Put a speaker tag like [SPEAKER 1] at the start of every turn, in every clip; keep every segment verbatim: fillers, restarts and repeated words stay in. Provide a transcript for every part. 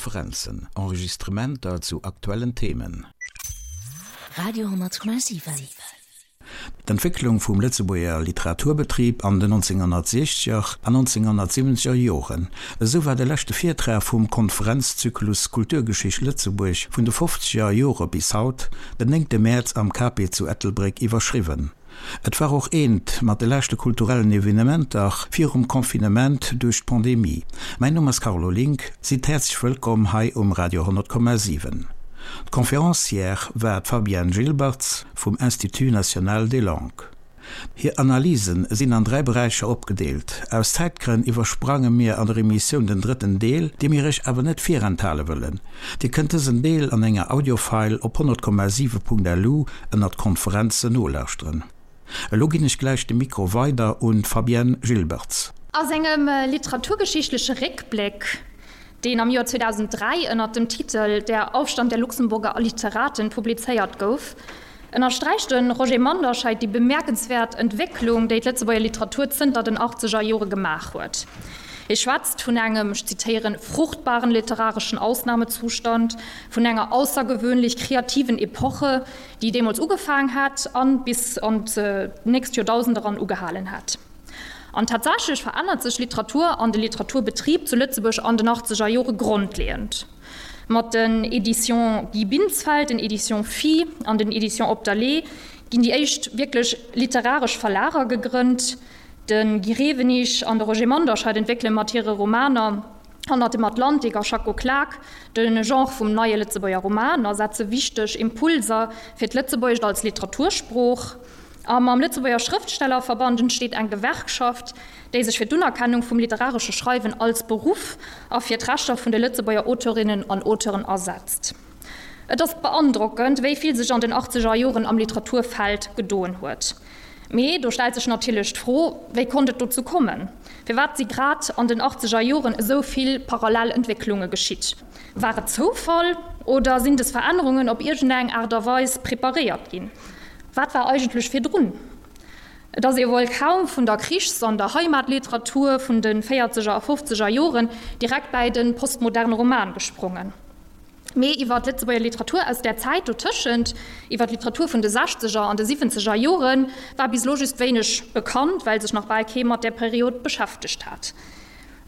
[SPEAKER 1] Konferenzen, Enregistrementer zu aktuellen Themen.
[SPEAKER 2] Radio hundertkomma siwen.
[SPEAKER 1] D'Entwécklung vum Lëtzebuerger Literaturbetrib an den nonzénghonnertsiechzeger an nonzénghonnertsiwwenzeger Joren, esou war de leschte Virtrag vum Konferenzzyklus Kulturgeschicht Lëtzebuerg vun de fofzeger Jore bis haut den néngte Mäerz am Cape zu Ettelbréck iwwerschriwwen. Et war och eent mat de leschte kulturellen Evenementer virum Confinement duerch d'Pandemie. Mäin Numm ass Carlo Link, sidd häerzlech wëllkomm hei um Radio honnertkomma siwen. D'Conférencière war d'Fabienne Gilbertz vum Institut national des langues. Hir Analysen sinn an dräi Beräicher opgedeelt. Aus Zäitgrënn iwwersprange mir an der Emissioun den drëtten Deel, dee mir iech awer net virenthale wëllen. Dir kënnt dësen Deel an enger Audiofile op honnert Komma siwe Punkt L U ënnert Konferenzen nolauschteren. Elo ginn ech gläich de Mikro weider un d'Fabienne Gilbertz.
[SPEAKER 3] A sengem literaturgeschichtleche Réckbléck, deen am Joer zweedausenddräi ënner dem Titel Der Aufstand der Luxemburger Literaten publizéiert gouf, ënnersträicht de Roger Manderscheid déi bemerkenswäert Entwécklung, déi d'Lëtzebuerger Literatur zënter den achtzeger Jore gemaach huet. Hie schwätzt vun engem, ech zitéieren, fruchtbaren literarischen Ausnahmezustand, vun enger außergewöhnlich kreativen Epoche, déi deemools ugefaangen hat a bis an d'nächst Joerdausend eran ugehalen hat. An tatsächlech verännert sech Literatur an de Literaturbetrib zu Lëtzebuerg an den achtzeger Jore grondleeënd. Mat den Éditions Guy Binsfeld, den Éditions Phi an den Éditions Op der Le'h ginn déi éischt wierklech literaresch Verlager gegrënnt. De Guy Rewenig an de Roger Manderscheid entwéckele mat hire Romaner Hannert dem Atlantik a Schacko Klak de Genre vum neie Lëtzebuerger Roman a setze wichteg Impulser fir d'Lëtzebuergescht als Literatursprooch. A mam Lëtzebuerger Schrëftstellerverband entsteet eng Gewerkschaft, déi sech fir d'Unerkennung vum literaresche Schreiwen als Beruff a fir d'Rechter vun de Lëtzebuerger Auteurinnen an Auteuren asetzt. Et ass beandrockend, wéi vill sech an den achtzeger Joren am Literaturfeld gedoen huet. Mee do stellt sech natierlech d'Fro, Wéi konnt et dozou kommen? Firwat si grad an den achtzeger Joren esou vill parallel Entwécklunge geschitt? War et Zoufall oder sinn des Verännerungen op iergendeng Aart a Weis preparéiert ginn? Wat war eigentlech virdrun? Et ass ee wuel kaum vun der Krichs an der Heimatliteratur vun de véierzeger a fofzeger Joren direkt bäi de postmoderne Roman gesprongen. Mee iwwer d'Lëtzebuerger Literatur aus där Zäit dotëschent, iwwer d'Literatur vun de sechzeger an de siwwenzeger Joren, war bis elo just wéineg bekannt, well sech nach bal kee mat där Period beschäftegt hat.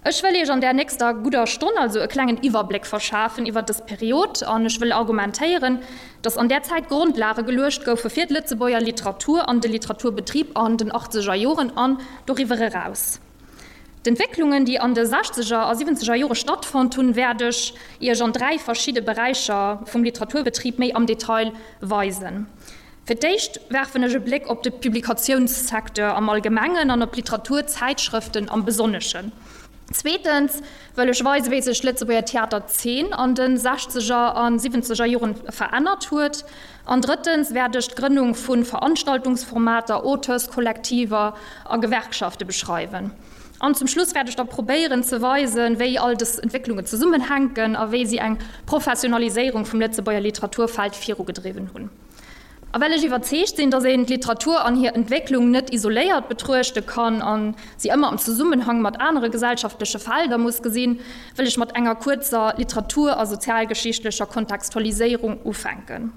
[SPEAKER 3] Ech wëll Iech an där nächster gudder Stonn also e klengen Iwwerbléck verschafen iwwer dës Period an ech wëll argumentéieren, dass an där Zäit Grondlage geluecht goufe fir d'Lëtzebuerger Literatur an de Literaturbetrib an den achtzeger Joren an doriwwer eraus. D'Entwécklungen, déi an de sechzeger a siwwenzeger Jore stattfonnt hunn, wäert ech Iech an dräi verschidde Beräicher vum Literaturbetrib méi am Detail weisen. Fir d'éischt werfen ech e Bléck op de Publikatiounssecteur am Allgemengen an op d'Literaturzäitschrëften am Besonneschen. Zweetens wëll ech weisen, wéi sech d'Lëtzebuerger Theaterzeen an de sechzeger a siwwenzeger Joren verännert huet. An drëttens wäert ech d'Grënnung vu Veranstaltungsformater, Auteurskollektiver a Gewerkschafte beschreiwen. An zum Schluss wäert ech da probéieren ze weisen, wéi all dës Entwécklungen zesummenhänken a wéi si eng Professionaliséierung vum Lëtzebuerger Literaturfeld virugedriwwen hunn. A well ech iwwerzeegt sinn, datt een d'Literatur an hir Entwécklung net isoléiert betruechte kann a si ëmmer am Zesummenhang mat anere gesellschaftleche Felder muss gesinn, wëll ech mat enger kuerzer literatur a sozialgeschichtlecher Kontextualiséierung ufänken.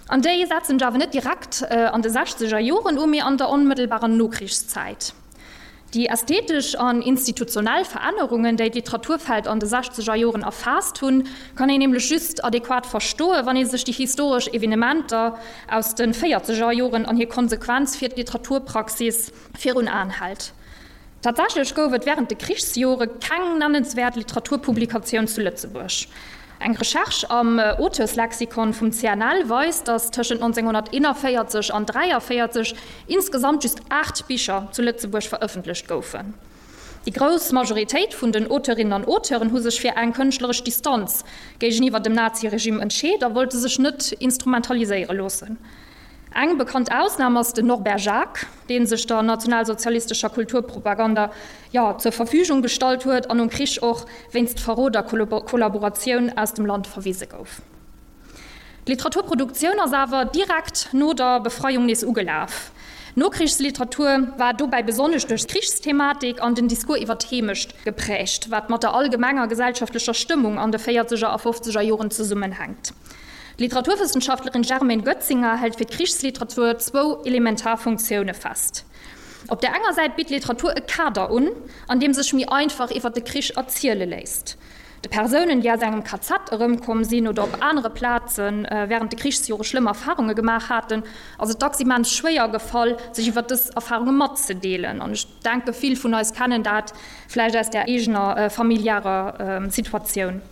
[SPEAKER 3] An déi setzen ech awer net direkt an de sechzeger Joren u, mee an der onmëttelbarer Nokrichszäit. Déi ästhetesch an institutionell Verännerungen, déi d'Literaturfeld an de sechzeger Joren erfaasst hunn, kann een nämlech just adequat verstoen, wann ee sech déi historesch Evenementer aus de véierzeger Joren an hir Konsequenz fir d'Literaturpraxis virun Aen hält. Tatsächlech gouf et wärend de Krichsjore keng nennenswäert Literaturpublikatioun zu Lëtzebuerg. Eng Recherche am Auteurslexikon vum C N L weist, datt tëschent nonzénghonnerteenanvéierzeg an dräiavéierzeg insgesamt just aacht Bicher zu Lëtzebuerg verëffentlecht goufen. Déi grouss Majoritéit vun den Auteurinnen an Auteuren hu sech fir eng kënschtleresch Distanz géigeniwwer dem Naziregime entscheet a wollte sech net instrumentaliséiere loossen. Eng bekannt Ausnam ass den Norbert Jacques, dee sech der nationalsozialistescher Kulturpropaganda, jo, zur Verfügung gestallt huet an nom Krich och wéinst Verrot a Kollaboratioun aus dem Land verwise gouf. D'Literaturproduktioun ass awer direkt no der Befreiung nees ugelaf. D'Nokrichsliteratur war dobäi besonnesch duerch d'Krichsthematik an den Discours iwwer d'Heemecht geprägt, wat mat der allgemenger gesellschaftlecher Stëmmung an de véierzeger a fofzeger Joren zesummenhänkt. D'Literaturwëssenschaftlerin Germaine Goetzinger hält fir d'Krichsliteratur zwou elementar Funktioune fest. Op der enger Säit bitt d'Literatur e Kader un, an deem sech méi einfach iwwer de Krich erziele léisst. De Persounen, déi aus engem K Z erëmkomm sinn oder op anere Plaze wärend de Krichsjore schlëmm Erfarunge gemaach haten, ass et dacks immens schwéier gefall, sech iwwer dës Erfarunge matzedeelen. An ech denke vill vun eis kennen dat vläicht aus der eegener familiärer Situatioun.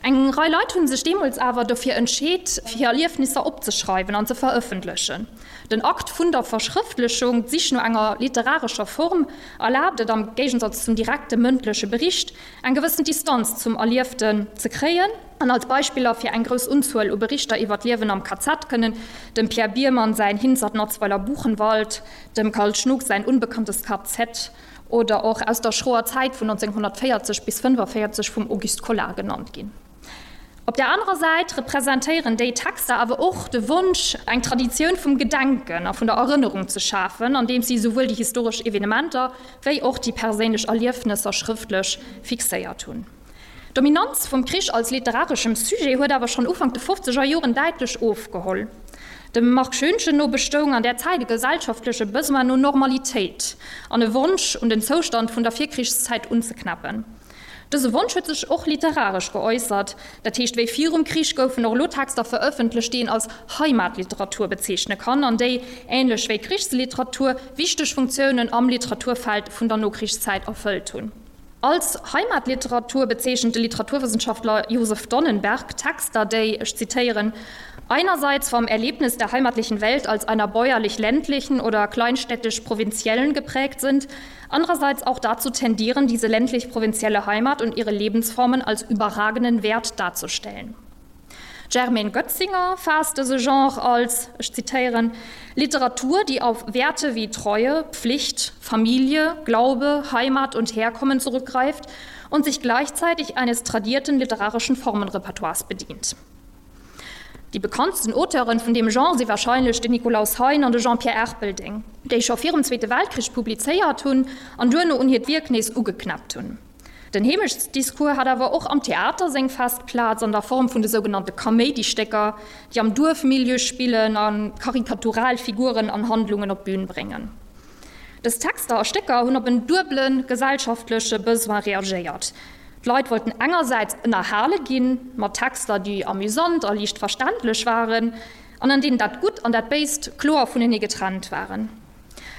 [SPEAKER 3] Eng Rei Leit hu sech deemools awer dofir entscheet, hir Erliefnisser opzeschreiwen an ze verëffentlechen. Den Akt vun der Verschrëftlechung, d'Sich no enger literarescher Form, erlaabt et am Géigensatz zum direkte mëndleche Bericht, eng gewëssen Distanz zum Erlieften ze kréien. An als Beispiller fir eng grouss Unzuel u Berichter iwwer d'Liewen am K Z kënnen dem Pierre Biermann säin Hinzert Natzweiler Buchenwald, dem Karl Schnug säin Unbekanntes K Z oder och Aus der schroer Zäit vun neunzehnhundertvéierzeg bis fënnefenvéierzeg vum Auguste Collard genannt ginn. Op der anerer Säit representéieren déi Texter awer och de Wonsch, eng Traditioun vum Gedenken a vun der Erënnerung ze schafen, andeems si souwuel déi historesch Evenementer wéi och déi perséinlech Erliefnesser schrëftlech fixéiert hunn. D'Dominanz vum Krich als literareschem Sujet huet awer schonn Ufank de fofzeger Joren däitlech ofgeholl. Dem Marc Schoenchen no bestoung an där Zäit e gesellschaftleche Besoin no Normalitéit an e Wonsch, un den Zoustand vun der Virkrichszäit unzeknäppen. Dëse Wonsch huet sech och literaresch geäussert. Dat heescht, wéi virum Krich goufen och elo Texter verëffentlecht, déi een als Heimatliteratur bezeechne kann an déi, änlech wéi d'Krichsliteratur, wichteg Funktiounen am Literaturfeld vun der Nokrichszäit erfëllt hunn. Als Heimatliteratur bezeechent de Literaturwëssenschaftler Josef Donnenberg Texter, déi, ech zitéieren, einerseits vom Erlebnis der heimatlichen Welt als einer bäuerlich-ländlichen oder kleinstädtisch-provinziellen geprägt sind, andererseits auch dazu tendieren, diese ländlich-provinzielle Heimat und ihre Lebensformen als überragenden Wert darzustellen. Germaine Goetzinger fasst dëse Genre als, ech zitéieren, Literatur, die auf Werte wie Treue, Pflicht, Familie, Glaube, Heimat und Herkommen zurückgreift und sich gleichzeitig eines tradierten literarischen Formenrepertoires bedient. Déi bekanntsten Auteuren vun deem Genre si warscheinlech den Nikolaus Hein an de Jean-Pierre Erpelding, déi scho virum Zweete Weltkrich publizéiert hunn an duerno un hiert Wierk nees ugeknäppt hunn. Den Heemechtsdiscours hat awer och am Theater seng fest Plaz an der Form vun de sougenannte Kaméidistécker, déi am Duerfmilieu spillen a karikatural Figuren an Handlungen op d'Bün bréngen. Dës Texter a Stécker hunn op en duebele gesellschaftleche Besoin reagéiert. D'Leit wollten engersäits ënnerhale ginn, mat Texter, déi amüsant a liicht verständlech waren, an an deenen dat Gutt an dat Béist kloer vunenee getrennt waren.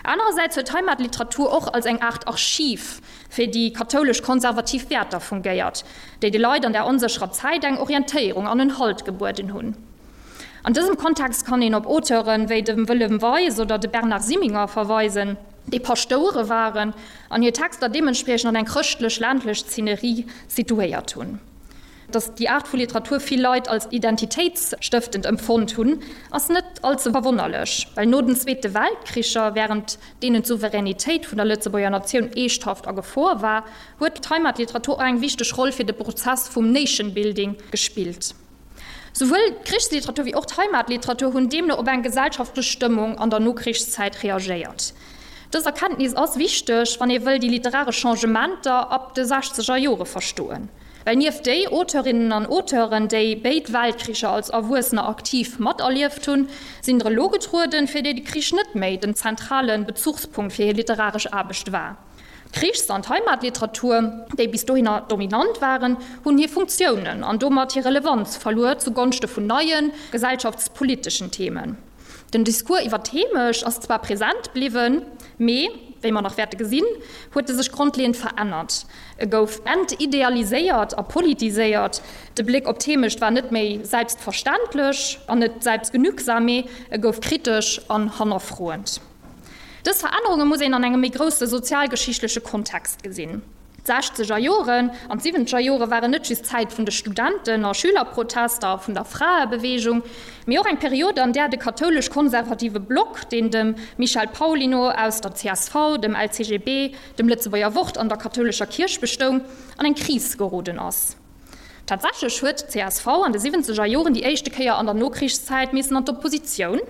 [SPEAKER 3] Anerersäits huet d'Heimatliteratur och als eng Aart Archiv fir déi kathoulesch-konservativ Wäerter fungéiert, déi de Leit an der onsécherer Zäit eng Orientéierung an en Halt gebueden hunn. An dësem Kontext kann een op Auteuren wéi dem Wëllem Weis oder de Bernard Simminger verweisen, déi Pastoure waren an hir Texter deementspriechend an eng chrëschtlech-ländlech Szenerie situéiert hunn. Datt déi Aart vu Literatur vill Leit als identitéitsstëftend empfonnt hunn, ass net allze verwonnerlech, well no den Zweete Weltkricher, wärend deenen d'Souveränitéit vun der Lëtzebuerger Natioun eeschthaft a Gefor war, huet d'Heimatliteratur och eng wichteg Roll fir de Prozess vum Nation-Building gespillt. Souwuel d'Krichsliteratur wéi och d'Heimatliteratur hunn deemno op eng gesellschaftlech Stëmmung an der Nokrichszäit reagéiert. Dës Erkenntnis ass wichteg, wann ee wëll déi literaresch Changementer ab de sechzeger Jore verstoen. Well nieft déi Auteurinnen an Auteuren, déi béid Weltkricher als Erwuessener aktiv materlieft hunn, sinn der elo getrueden, fir déi de Krich net méi den zentrale Bezuchspunkt fir hir literaresch Aarbecht war. D'Krichs- an d'Heimatliteratur, déi bis dohinner dominant waren, hunn hir Funktiounen an domat hir Relevanz verluer zugonschte vun neien, gesellschaftspoliteschen Themen. Den Discours iwwer d'Heemecht ass zwar present bliwwen, mee, wéi mer nach wäerte gesinn, huet e sech grondleeënd verännert. E gouf entidealiséiert a politiséiert. De Bléck op d'Heemecht war net méi selbstverständlech an net selbstgenügsam, mee e gouf kritesch an hannerfroend. Dës Verännerunge muss een an engem méi grousse sozialgeschichtleche Kontext gesinn. D'sechzeger Joren an d'siwwenzeger Jore waren net just d'Zäit vun de Studenten a Schülerprotester a vun der Fraebeweegung, mee och eng Period, an där de kathoulesch-konservative Block, deen dem Michel Paulino aus der C S V, dem L C G B, dem Lëtzebuerger Wort an der kathoulescher Kierch bestoung, an eng Kris geroden ass. Tatsächlech huet d'C S V an de siwwenzeger Joren déi éischte Kéier an der Nokrichszäit missen an d'Oppositioun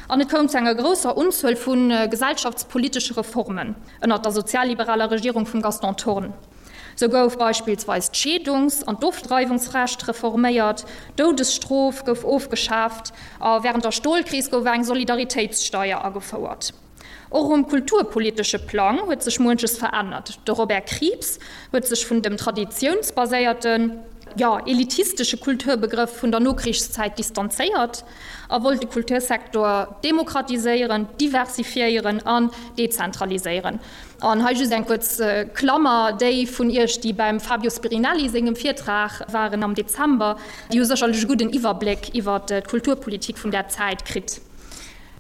[SPEAKER 3] an et koum zu enger grousser Unzuel vu gesellschaftspolitesche Reformen ënner der sozialliberaler Regierung vum Gaston Thorn. Sou gouf beispillsweis d'Scheedungs an d'Ofdreiwungsrecht reforméiert, d'Doudesstrof gouf ofgeschaaft a wärend der Stolkris gouf eng Solidaritéitssteier agefouert. Och um kulturpolitesche Plang huet sech muenches verännert. De Robert Krieps huet sech vun dem traditiounsbaséierten, jo, elitistesche Kulturbegrëff vun der Nokrichszäit distanzéiert a wollt de Kultursektor demokratiséieren, diversifiéieren an dezentraliséieren. An hei just eng kuerz Klammer, Déi vun Iech, déi beim Fabio Spirinelli sengem Virtrag waren am Dezember, déi hu sécherlech e gudden Iwwerbléck iwwer d'Kulturpolitik vun där Zäit kritt.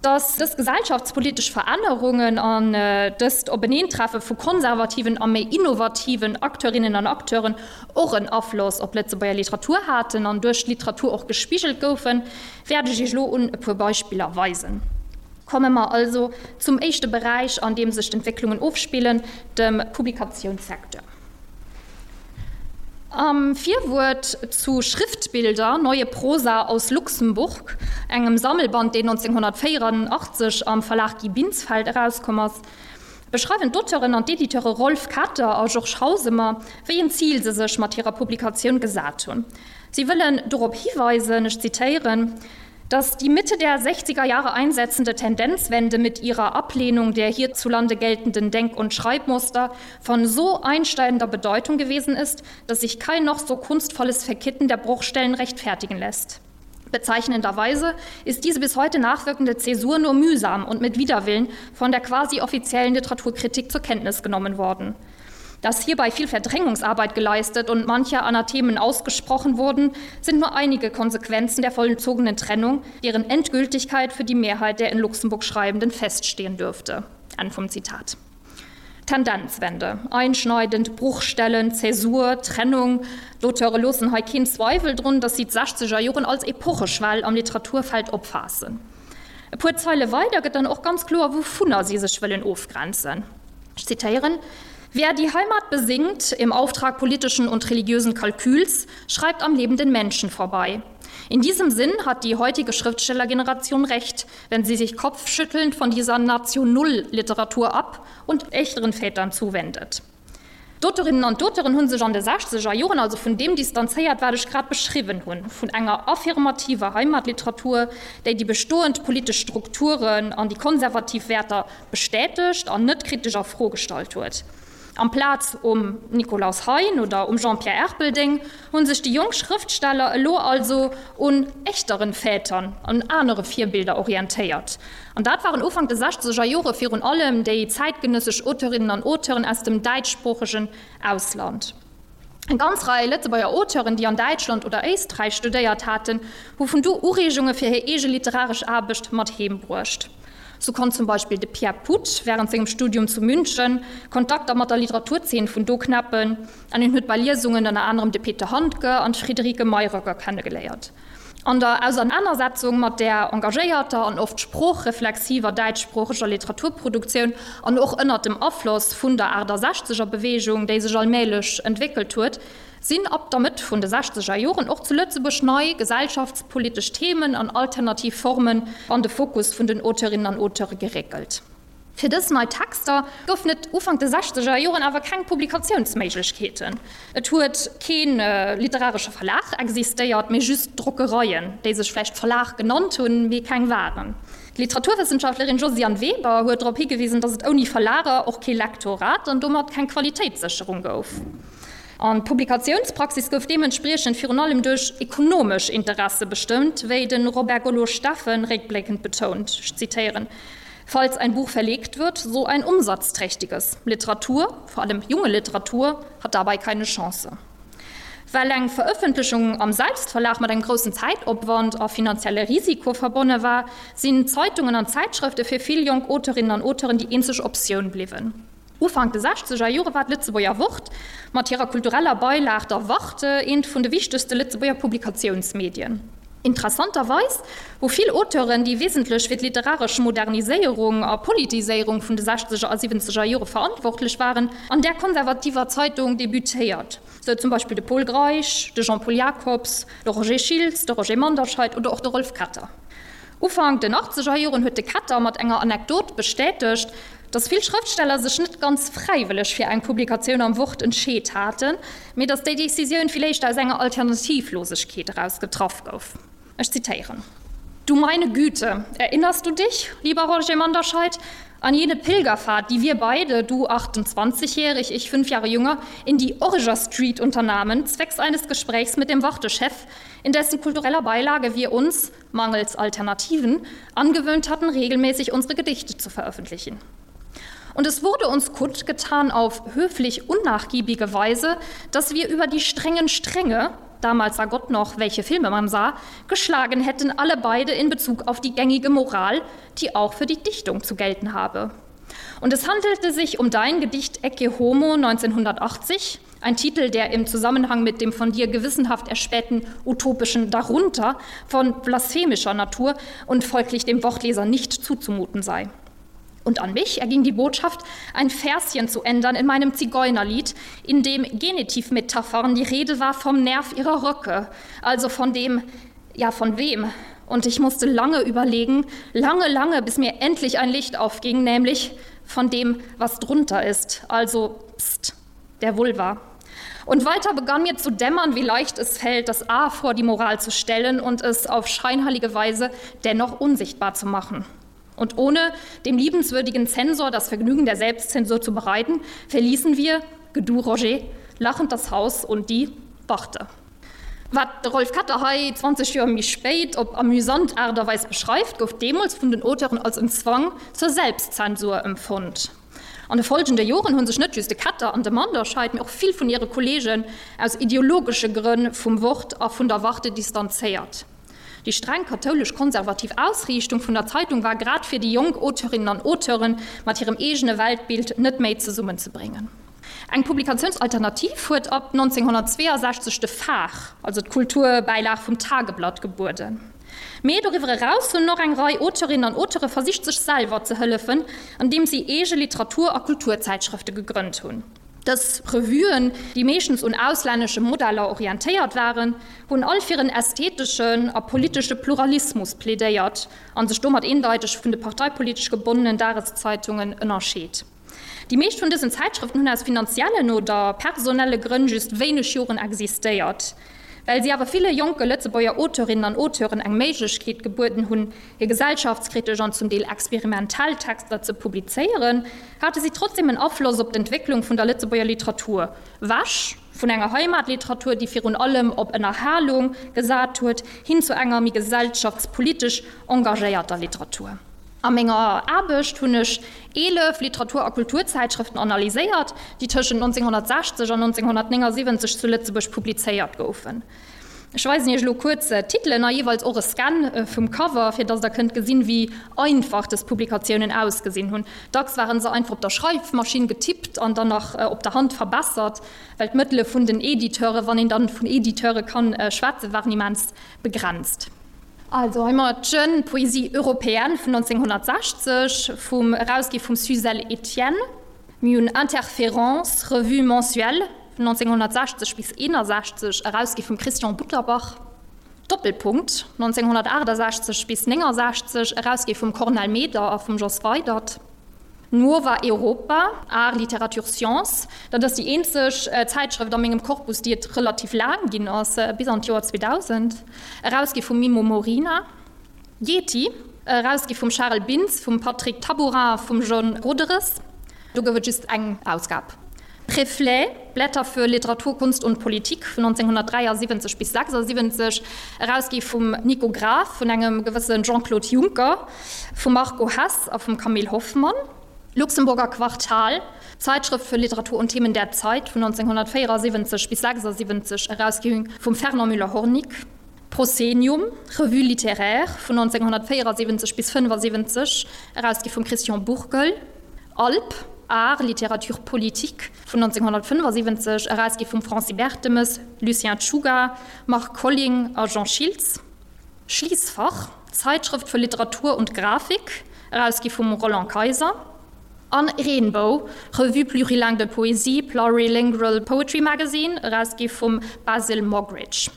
[SPEAKER 3] Dass dës gesellschaftspolitesch Verännerungen an dëst Openeentreffe vu konservativen a méi innovativen Acteurinnen an Acteuren och en Afloss op d'Lëtzebuerger Literatur haten an duerch d'Literatur och gespigelt goufen, wäert ech Iech elo un e puer Beispiller weisen. Komme mer also zum éischte Beräich, an deem sech d'Entwécklungen ofspillen, dem Publikatiounssecteur. Am Virwuert zu Schriftbilder, Neue Prosa aus Luxemburg, engem Sammelband, deen nonzénghonnertvéieranachtzeg am Verlag Guy Binsfeld erauskomm ass, beschreiwen d'Auteuren an d'Editeure Rolf Ketter a Georges Hausemer, wéi en Zil se sech mat hirer Publikatioun gesat hunn. Si wëllen dorop hiweisen, ech zitéieren, dass die Mitte der sechziger Jahre einsetzende Tendenzwende mit ihrer Ablehnung der hierzulande geltenden Denk- und Schreibmuster von so einschneidender Bedeutung gewesen ist, dass sich kein noch so kunstvolles Verkitten der Bruchstellen rechtfertigen lässt. Bezeichnenderweise ist diese bis heute nachwirkende Zäsur nur mühsam und mit Widerwillen von der quasi offiziellen Literaturkritik zur Kenntnis genommen worden. Dass hierbei viel Verdrängungsarbeit geleistet und manche Anathemen ausgesprochen wurden, sind nur einige Konsequenzen der vollzogenen Trennung, deren Endgültigkeit für die Mehrheit der in Luxemburg Schreibenden feststehen dürfte. Enn vum Zitat. Tendenzwende, einschneidend, Bruchstellen, Zäsur, Trennung, d'Auteure loossen hei keen Zweiwel drun, dass si d'sechzeger Joren als Epocheschwell am Literaturfeld opfaassen. E puer Zeile weider gëtt dann och ganz kloer, wouvunner si sech wëllen ofgrenzen. Ech zitéieren, Wer die Heimat besingt im Auftrag politischen und religiösen Kalküls, schreibt am lebenden Menschen vorbei. In diesem Sinn hat die heutige Schriftstellergeneration recht, wenn sie sich kopfschüttelnd von dieser Nation-Null-Literatur ab und echteren Vätern zuwendet. D'Auteurinnen an d'Auteuren hu sech an de sechzeger Joren also vun deem distanzéiert, wat ech grad beschriwwen hunn, vun enger affirmativer Heimatliteratur, déi déi bestoend politesch Strukturen an déi konservativ Wäerter bestätegt an net kritesch a Fro gestallt huet. Amplaz um Nikolaus Hein oder um Jean-Pierre Erpelding hu sech déi jonk Schrëftsteller elo also un echteren Vätern, un anere Virbilder orientéiert. An dat waren Ufank de sechzeger Jore virun allem déi zäitgenëssesch Auteurinnen an Auteuren aus dem däitschsproochegen Ausland. Eng ganz Rei Lëtzebuerger Auteuren, déi an Däitschland oder Éisträich studéiert haten, hu vun do Ureegunge fir hir eege literaresch Aarbecht mat heem bruecht. Sou konnt zum Beispill de Pierre Puth wärend sengem Studium zu München Kontakter mat der Literaturzeen vun do knäppen an hien huet bei Liesungen ënner anerem de Peter Handke an d'Friederike Mayröcker kennegeléiert. An der Ausernanersetzung mat där engagéierter an oft sproochreflexiver däitschsproocheger Literaturproduktioun an och ënnert dem Afloss vun der Aachtasechzeger-Beweegung, déi sech allmählech entwéckelt huet, sinn ab der Mëtt vun de sechzeger Joren och zu Lëtzebuerg nei gesellschaftspolitesch Themen an alternativ Formen an de Fokus vun den Auteurinnen an Auteure geréckelt. Fir dës nei Texter goufen et Ufank de sechzeger Joren awer keng Publikatiounsméiglechkeeten. Et huet kee literaresche Verlag existéiert, mee just Drockereien, déi sech vläicht Verlag genannt hunn, mee keng waren. D'Literaturwëssenschaftlerin Josiane Weber huet drop higewisen, datt et ouni Verlager och kee Lektorat an domat keng Qualitéitssécherung gouf. An d'Publikatiounspraxis gouf deementspriechend virun allem duerch ekonomesch Interesse bestëmmt, wéi de Robert Gollo-Steffen réckbléckend betount, ech zitéieren, Falls ein Buch verlegt wird, so ein umsatzträchtiges. Literatur, vor allem junge Literatur, hat dabei keine Chance. Well eng Verëffentlechung am Selbstverlag mat engem groussen Zäitopwand a finanzielle Risiko verbonne war, sinn Zeitungen an Zäitschrëfte fir vill jonk Auteurinnen an Auteuren déi eenzeg Optioun bliwwen. Ufank de sechzeger Jore war d'Lëtzebuerger Wort mat hirer kultureller Beilag der Warte eent vun de wichtegste Lëtzebuerger Publikatiounsmedien. Interessanterweis hu vill Auteuren, déi wesentlech fir d'literaresch Moderniséierung a Politiséierung vun de sechzeger a siwwenzeger Jore verantwortlech waren, an där konservativer Zeitung debutéiert, sou zum Beispill de Pol Greisch, de Jean-Paul Jacobs, de Roger Schiltz, de Roger Manderscheid oder och de Rolf Ketter. Ufank den achtzeger Joren huet de Katter mat enger Anekdot bestätegt, dass vill Schrëftsteller sech net ganz fräiwëlleg fir eng Publikatioun am Wort entscheet haten, mee dass déi Decisioun villéicht aus enger Alternativlosegkeet eraus getraff gouf. Ech zitéieren: Du meine Güte, erinnerst du dich, lieber Roger Manderscheid, an jene Pilgerfahrt, die wir beide, du achtundzwanzigjährig, ich fünf Jahre jünger, in die Origer Street unternahmen, zwecks eines Gesprächs mit dem Wartechef, in dessen kultureller Beilage wir uns, mangels Alternativen, angewöhnt hatten, regelmäßig unsere Gedichte zu veröffentlichen. Und es wurde uns kundgetan auf höflich unnachgiebige Weise, dass wir über die strengen Stränge, damals sah Gott noch, welche Filme man sah, geschlagen hätten alle beide in Bezug auf die gängige Moral, die auch für die Dichtung zu gelten habe. Und es handelte sich um dein Gedicht Ecce Homo neunzehnhundertachtzig, ein Titel, der im Zusammenhang mit dem von dir gewissenhaft erspähten utopischen Darunter von blasphemischer Natur und folglich dem Wortleser nicht zuzumuten sei. Und an mich erging die Botschaft, ein Verschen zu ändern in meinem Zigeunerlied, in dem Genitivmetaphern die Rede war vom Nerv ihrer Röcke, also von dem, ja von wem. Und ich musste lange überlegen, lange, lange, bis mir endlich ein Licht aufging, nämlich von dem, was drunter ist, also pst, der Vulva. Und weiter begann mir zu dämmern, wie leicht es fällt, das A vor die Moral zu stellen und es auf scheinheilige Weise dennoch unsichtbar zu machen. Und ohne dem liebenswürdigen Zensor das Vergnügen der Selbstzensur zu bereiten, verließen wir, Gedu Roger, lachend das Haus und die Wachte. Wat de Rolf Katter hei zwanzeg Joer méi spéit op amüsant Aart a Weis beschreift, gouf deemools vun den Auteuren als en Zwang zur Selbstzensur empfonnt. An de folgende Joren hunn sech net just de Katter an de Manderscheid, mee och vill vun hire Kolleegen aus ideologesche Grënn vum Wort a vun der Warte distanzéiert. Déi streng kathoulesch-konservativ Ausriichtung vun der Zeitung war grad fir déi jonk Auteurinnen an Auteuren mat hirem eegene Weltbild net méi zesummenzebréngen. Eng Publikatiounsalternativ huet ab neunzehnhundertzweeasechzeg de Phare, also d'Kulturbäilag vum Tageblatt, gebueden. Mee doriwwer eraus hunn och eng Rei Auteurinnen an Auteure versicht, sech selwer ze hëllefen, andeem si eege Literatur a Kulturzäitschrëfte gegrënnt hunn. Dës Revuen, déi meeschtens un auslännesche Modeller orientéiert waren, hunn all fir en ästheteschen a politesche Pluralismus plädéiert an sech domat eendeiteg vun de parteipolitesch gebonnenen Dageszeitungen ënnerscheet. Déi meescht vun dësen Zäitschrëften hunn aus finanziellen oder personelle Grënn just wéineg Joren existéiert. Well si awer ville jonke Lëtzebuerger Auteurinnen an Auteuren eng Méiglechkeet gebueden hunn, hir gesellschaftskritesch an zum Deel experimentell Texter ze publizéieren, hate si trotzdem en Afloss op d'Entwécklung vun der Lëtzebuerger Literatur. Wäsch vun enger Heimatliteratur, déi virun allem op Ënnerhalung gesat huet, hin zu enger méi gesellschaftspolitesch engagéierter Literatur. A menger Aarbecht hunn ech eelef Literatur- a Kulturzäitschrëften analyséiert, déi tëschent neunzehnhundertsechzeg an neunzehnhundertneunundsiebzeg zu Lëtzebuerg publizéiert goufen. Ech weisen Iech elo kuerz d'Titelen a jeeweils och e Scan vum Cover, fir datt Der kënnt gesinn, wéi einfach dës Publikatiounen ausgesinn hunn. Dacks waren se einfach op der Schreifmaschinn getippt an dann nach op der Hand verbessert, well d'Mëttele vun den Editeure, wann een dann vun Editeure kann schwätzen, waren immens begrenzt. Also hei mer d'Jeune Poésie européenne vun neunzehnhundertsechzeg, vum erausgi vum Suzelle Etienne. Mir hunn Interférence, Revue mensuelle vun neunzehnhundertsechzeg bis eenundsechzeg, erausgi vum Christian Butterbach. Doppelpunkt neunzehnhundertachtundsechzeg bis neunundsechzeg, erausgi vum Cornel Meder a vum Jos Weydert. Nuova Europa, Art, Literatur, Science. Dat ass déi eenzeg Zäitschrëft a mengem Korpus, déi et relativ laang ginn ass, bis an d'Joer zweedausend. Erausgi vum Mimmo Morina. Yeti, erausgi vum Charles Bintz, vum Patrick Tabourin a vum John Roderes. Do gouf et just eng Ausgab. Reflet, Blätter für Literatur, Kunst und Politik vun neunzehnhundertdräiundsiebzeg bis sechsundsiebzeg, erausgi vum Nico Graf, vun engem gewësse Jean-Claude Juncker, vum Marco Hess a vum Camille Hoffmann. Luxemburger Quartal, Zeitschrift für Literatur und Themen der Zeit vun neunzehnhundertvierundsiebzeg bis sechsundsiebzeg, erausgi vum Fernand Müller-Hornig. Proscenium, Revue littéraire vun neunzehnhundertvierundsiebzeg bis fünfundsiebzeg, erausgi vum Christian Burgel. Alp, Art, Literatur, Politik vun neunzehnhundertfünfundsiebzeg, erausgi vum Francis Bertemes, Lucien Czuga, Marc Colling a Jean Schiltz. Schließfach, Zeitschrift für Literatur und Grafik, erausgi vum Roland Kaiser. An Rainbow, Revue plurilingue de poésie, Plurilingual Poetry Magazine, erausgi vum Basil Moggridge.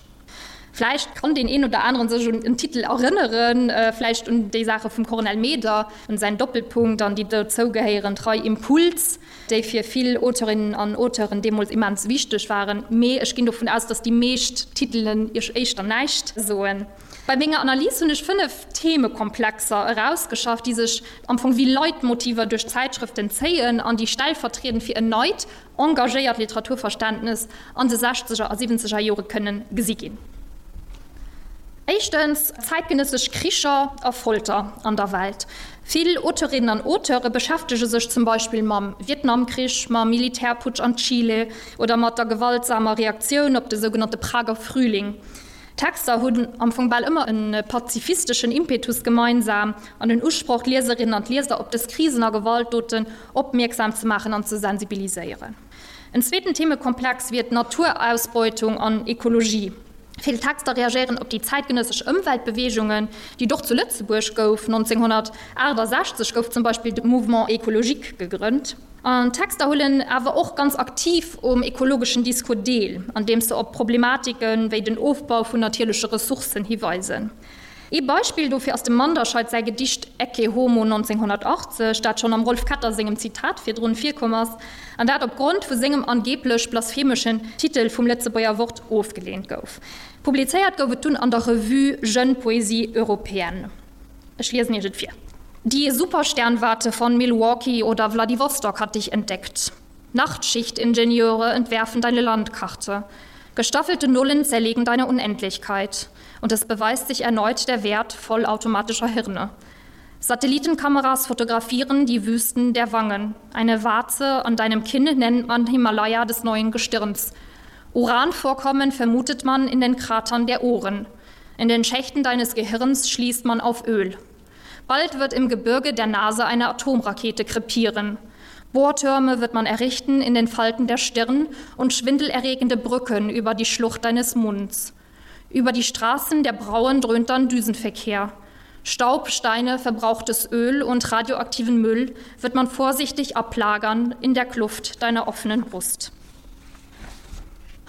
[SPEAKER 3] Vläicht kann deen een oder aneren sech un en Titel erënneren, vläicht un déi Saache vum Cornel Meder, un säin Doppelpunkt an déi dozougehéierend Rei Impuls, déi fir vill Auteurinnen an Auteuren deemools immens wichteg waren. Mee ech ginn dovun aus, dass déi meescht Titelen iech éischter näischt soen. Bei menger Analys hunn ech fënnef Themekomplexer erausgeschafft, déi sech am Fong wéi Leitmotiver duerch d'Zäitschrëften zéien an déi stellvertriedend fir en neit, engagéiert Literaturverständnes an de sechzeger a siwwenzeger Jore kënnen gesi ginn. Éischtens, zäitgenëssesch Kricher a Folter an der Welt. Vill Auteurinnen an Auteure beschäftege sech zum Beispill mam Vietnamkrich, mam Militärputsch an Chile oder mat der gewaltsamer Reaktioun op de sougenannte Prager Frühling. D'Texter hunn am Fong bal ëmmer e pazifisteschen Impetus gemeinsam an den Usproch, d'Lieserinnen an d'Lieser op dës Krisen a Gewaltdoten opmierksam ze maachen an ze sensibiliséieren. En zweeten Themekomplex wier d'Naturausbeutung an Ekologie. Vill Texter reagéieren op déi zäitgenëssesch Ëmweltbeweegungen, déi et och zu Lëtzebuerg gouf. nonzénghunnertaachtasechzeg gouf zum Beispill de Mouvement écologique gegrënnt. An d'Texter huelen awer och ganz aktiv um ekologeschen Discours deel, andeems se op Problematike wéi den Ofbau vun natierleche Ressourcen hiweisen. Ee Beispill dofir ass dem Manderscheid säi Gedicht Ecce Homo nonzénghunnertachtzeg, dat schonn am Rolf Ketter sengem Zitat virdrun virkomm ass, an dat op Grond vu sengem angeeblech blasphemeschen Titel vum Lëtzebuerger Wort ofgeleent gouf. Publizéiert gouf et dunn an der Revue Jeune Poésie Européenne. Ech liesen Iech et vir. Die Supersternwarte von Milwaukee oder Wladiwostok hat dich entdeckt. Nachtschichtingenieure entwerfen deine Landkarte. Gestaffelte Nullen zerlegen deine Unendlichkeit. Und es beweist sich erneut der Wert vollautomatischer Hirne. Satellitenkameras fotografieren die Wüsten der Wangen. Eine Warze an deinem Kinn nennt man Himalaya des neuen Gestirns. Uranvorkommen vermutet man in den Kratern der Ohren. In den Schächten deines Gehirns schließt man auf Öl. Bald wird im Gebirge der Nase eine Atomrakete krepieren. Bohrtürme wird man errichten in den Falten der Stirn und schwindelerregende Brücken über die Schlucht deines Munds. Über die Straßen der Brauen dröhnt dann Düsenverkehr. Staub, Steine, verbrauchtes Öl und radioaktiven Müll wird man vorsichtig ablagern in der Kluft deiner offenen Brust.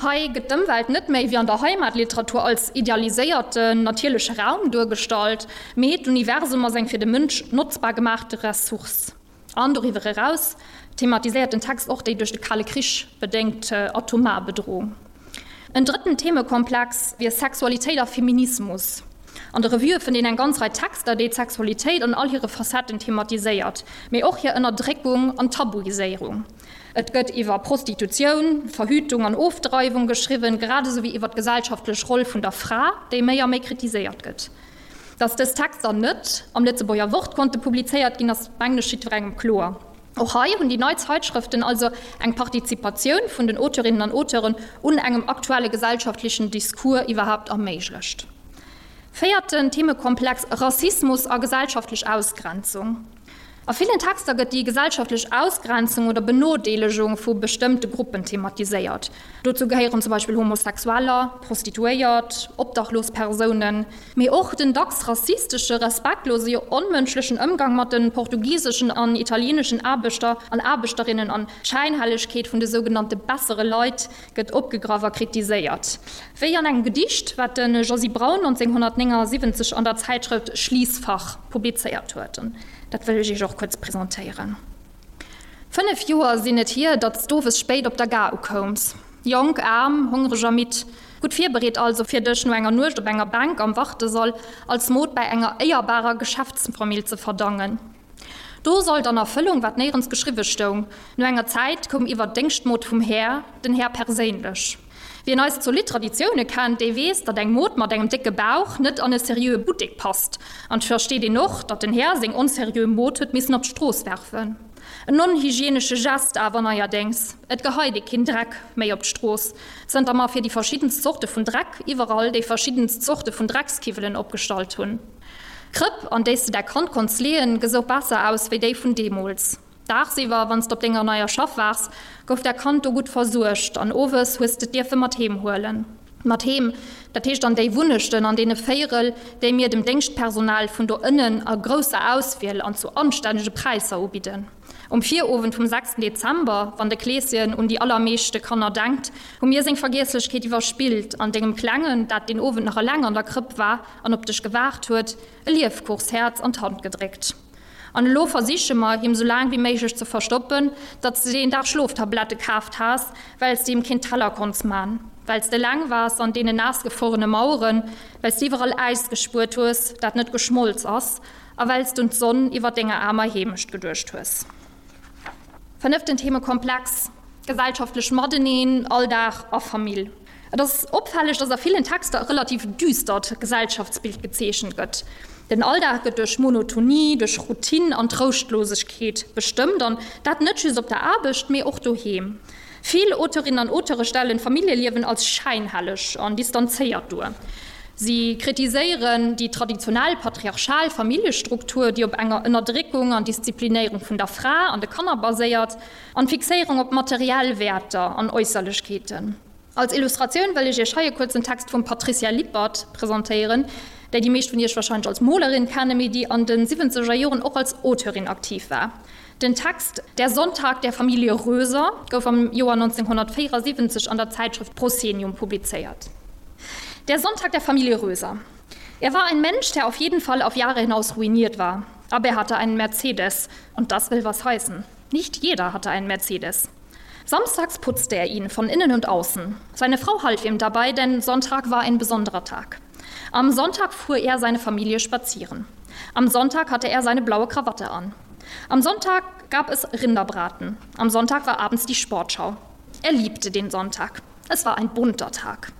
[SPEAKER 3] Hei gëtt d'Ëmwelt net méi wéi an der Heimatliteratur als idealiséierten natierleche Raum duergestallt, mee d'Universum als eng fir de Mënsch notzbar gemaachte Ressource. An doriwwer eraus thematiséiert den Text och déi duerch de Kale Krich bedéngt atomar Bedroung. En drëtten Themekomplex wier Sexualitéit a Feminismus. An de Revuë fënnt een eng ganz Rei Texter, déi d'Sexualitéit an all hire Facetten thematiséiert, mee och hir Ënnerdréckung an Tabuiséierung. Et gëtt iwwer Prostitutioun, Verhütung an Ofdreiwung geschriwwen, grad esou wéi iwwer d'gesellschaftlech Roll vun der Fra, déi méi a méi kritiséiert gëtt. Datt dës Texter net am Lëtzebuerger Wort konnte publizéiert ginn, ass mengen ech jiddwerengem kloer. Och hei hunn déi nei Zeitschrëften also eng Partizipatioun vun den Auteurinnen an Auteuren un engem aktuelle gesellschaftlechen Discours iwwerhaapt erméiglecht. Véierten Themekomplex, Rassismus a gesellschaftlech Ausgrenzung. A villen Texter gëtt déi gesellschaftlech Ausgrenzung oder Benodeelegung vu bestëmmte Gruppen thematiséiert. Dozou gehéieren zum Beispill Homosexueller, Prostituéiert, obdachlos Persounen, mee och den dacks rassistesche, respektlose, jo onmënschlechen Ëmgang mat de portugiseschen an italieeneschen Aarbechter an Aarbechterinnen an d'Schäinhellegkeet vun de sougenannte bessere Leit gëtt opgegraff a kritiséiert. Wéi an engem Gedicht, wat de Josy Braun nonzénghunnertnéngasiwwenzeg an der Zäitschrëft Schließfach publizéiert huet. Dat wëll ech Iech och kuerz presentéieren. Fënnef Joer sinn et hier, datt s d'owes spéit op der Gare ukoums. Jonk, aarm, hongreg a midd. Gutt virbereet also, fir dech no enger Nuecht op enger Bänk am Wartesall als Mod bäi enger éierbarer Geschäftsfamill ze verdangen. Do sollt an Erfëllung, wat néierens geschriwwe stoung. No enger Zäit koum iwwer d'Déngschtmod vum Här, den Här perséinlech. Wien eis zolidd Traditioune kennt, dee weess, datt eng Mod mat engem décke Bauch net an e seriöe Buttek passt. An 't versteet een och, datt den Här seng onseriö Mod huet missen op d'Strooss werfen. En onhygienesche Gest awer neierdéngs, et geheit ee keen Dreck méi op d'Strooss, zënter mer fir déi verschiddenst Zorte vun Dreck iwwerall déi verschiddenst Zorte vun Dreckskiwwelen opgestallt hunn. D'Krëpp, an déi s de däi Kand konns leeën, gesouch besser aus wéi déi vun deemools. Daagsiwwer, wann s de op denger neier Schaff waars, gouf däi Kand do gutt versuergt an owes hues d'et dierfe mat heem huelen. Mat heem, dat heescht an déi Wunnechten an deene Véierel, déi mir dem Déngschtpersonal vun do ënnen a grousser Auswiel an zu anstännege Präisser ubidden. Um Virowend vum sechsten Dezember, wann de Kleeschen un déi allermeeschte Kanner denkt, hu mir seng Vergiesslechkeet iwwerspillt an dengem Klengen, dat deen Owend nach eleng an der Krëpp war an op dech gewaart huet, e Liefkuchshäerz an d'Hand gedréckt. An elo versiche mer, him sou laang wéi méiglech ze verstoppen, datt s de deen Dag Schloftablette kaaft has, well s de him keen Teller konnts man, well s de eleng waars an deenen naassgefruerene Maueren, well s de iwwerall Äis gespuert hues, dat net geschmolz ass, a well s d'un d'Sonn iwwer denger aarmer Heemecht geduecht hues. Fënneften Themekomplex, Gesellschaftlech Mateneen, Alldag a Famill. Et ass opfälleg, dass a villen Texter e relativ düstert Gesellschaftsbild gezeechent gëtt. Den Alldag gëtt duerch Monotonie, duerch Routine an Trouschtlosegkeet bestëmmt, an dat net just op der Aarbecht, mee och doheem. Vill Auteurinnen an Auteure stellen d'Familljeliewen als schäinhelleg an distanzéiert duer. Si kritiséieren déi traditionell patriarchal Familljestruktur, déi op enger Ënnerdréckung an Disziplinéierung vun der Fra an de Kanner baséiert, an d'Fixéierung op materiell Wäerter an Äusserlechkeeten. Als Illustratioun wëll ech iech hei e kuerzen Text vum Patricia Lippert presentéieren, déi déi meescht vun iech warscheinlech als Molerin kennen, mee déi an de siwwenzeger Joren och als Auteurin aktiv war. Den Text Der Sonntag der Familie Röser gouf am Joer neunzehnhundertvéierasiwwenzeg an der Zäitschrëft Proscenium publizéiert. Der Sonntag der Familie Röser. Er war ein Mensch, der auf jeden Fall auf Jahre hinaus ruiniert war. Aber er hatte einen Mercedes, und das will was heißen. Nicht jeder hatte einen Mercedes. Samstags putzte er ihn von innen und außen. Seine Frau half ihm dabei, denn Sonntag war ein besonderer Tag. Am Sonntag fuhr er seine Familie spazieren. Am Sonntag hatte er seine blaue Krawatte an. Am Sonntag gab es Rinderbraten. Am Sonntag war abends die Sportschau. Er liebte den Sonntag. Es war ein bunter Tag.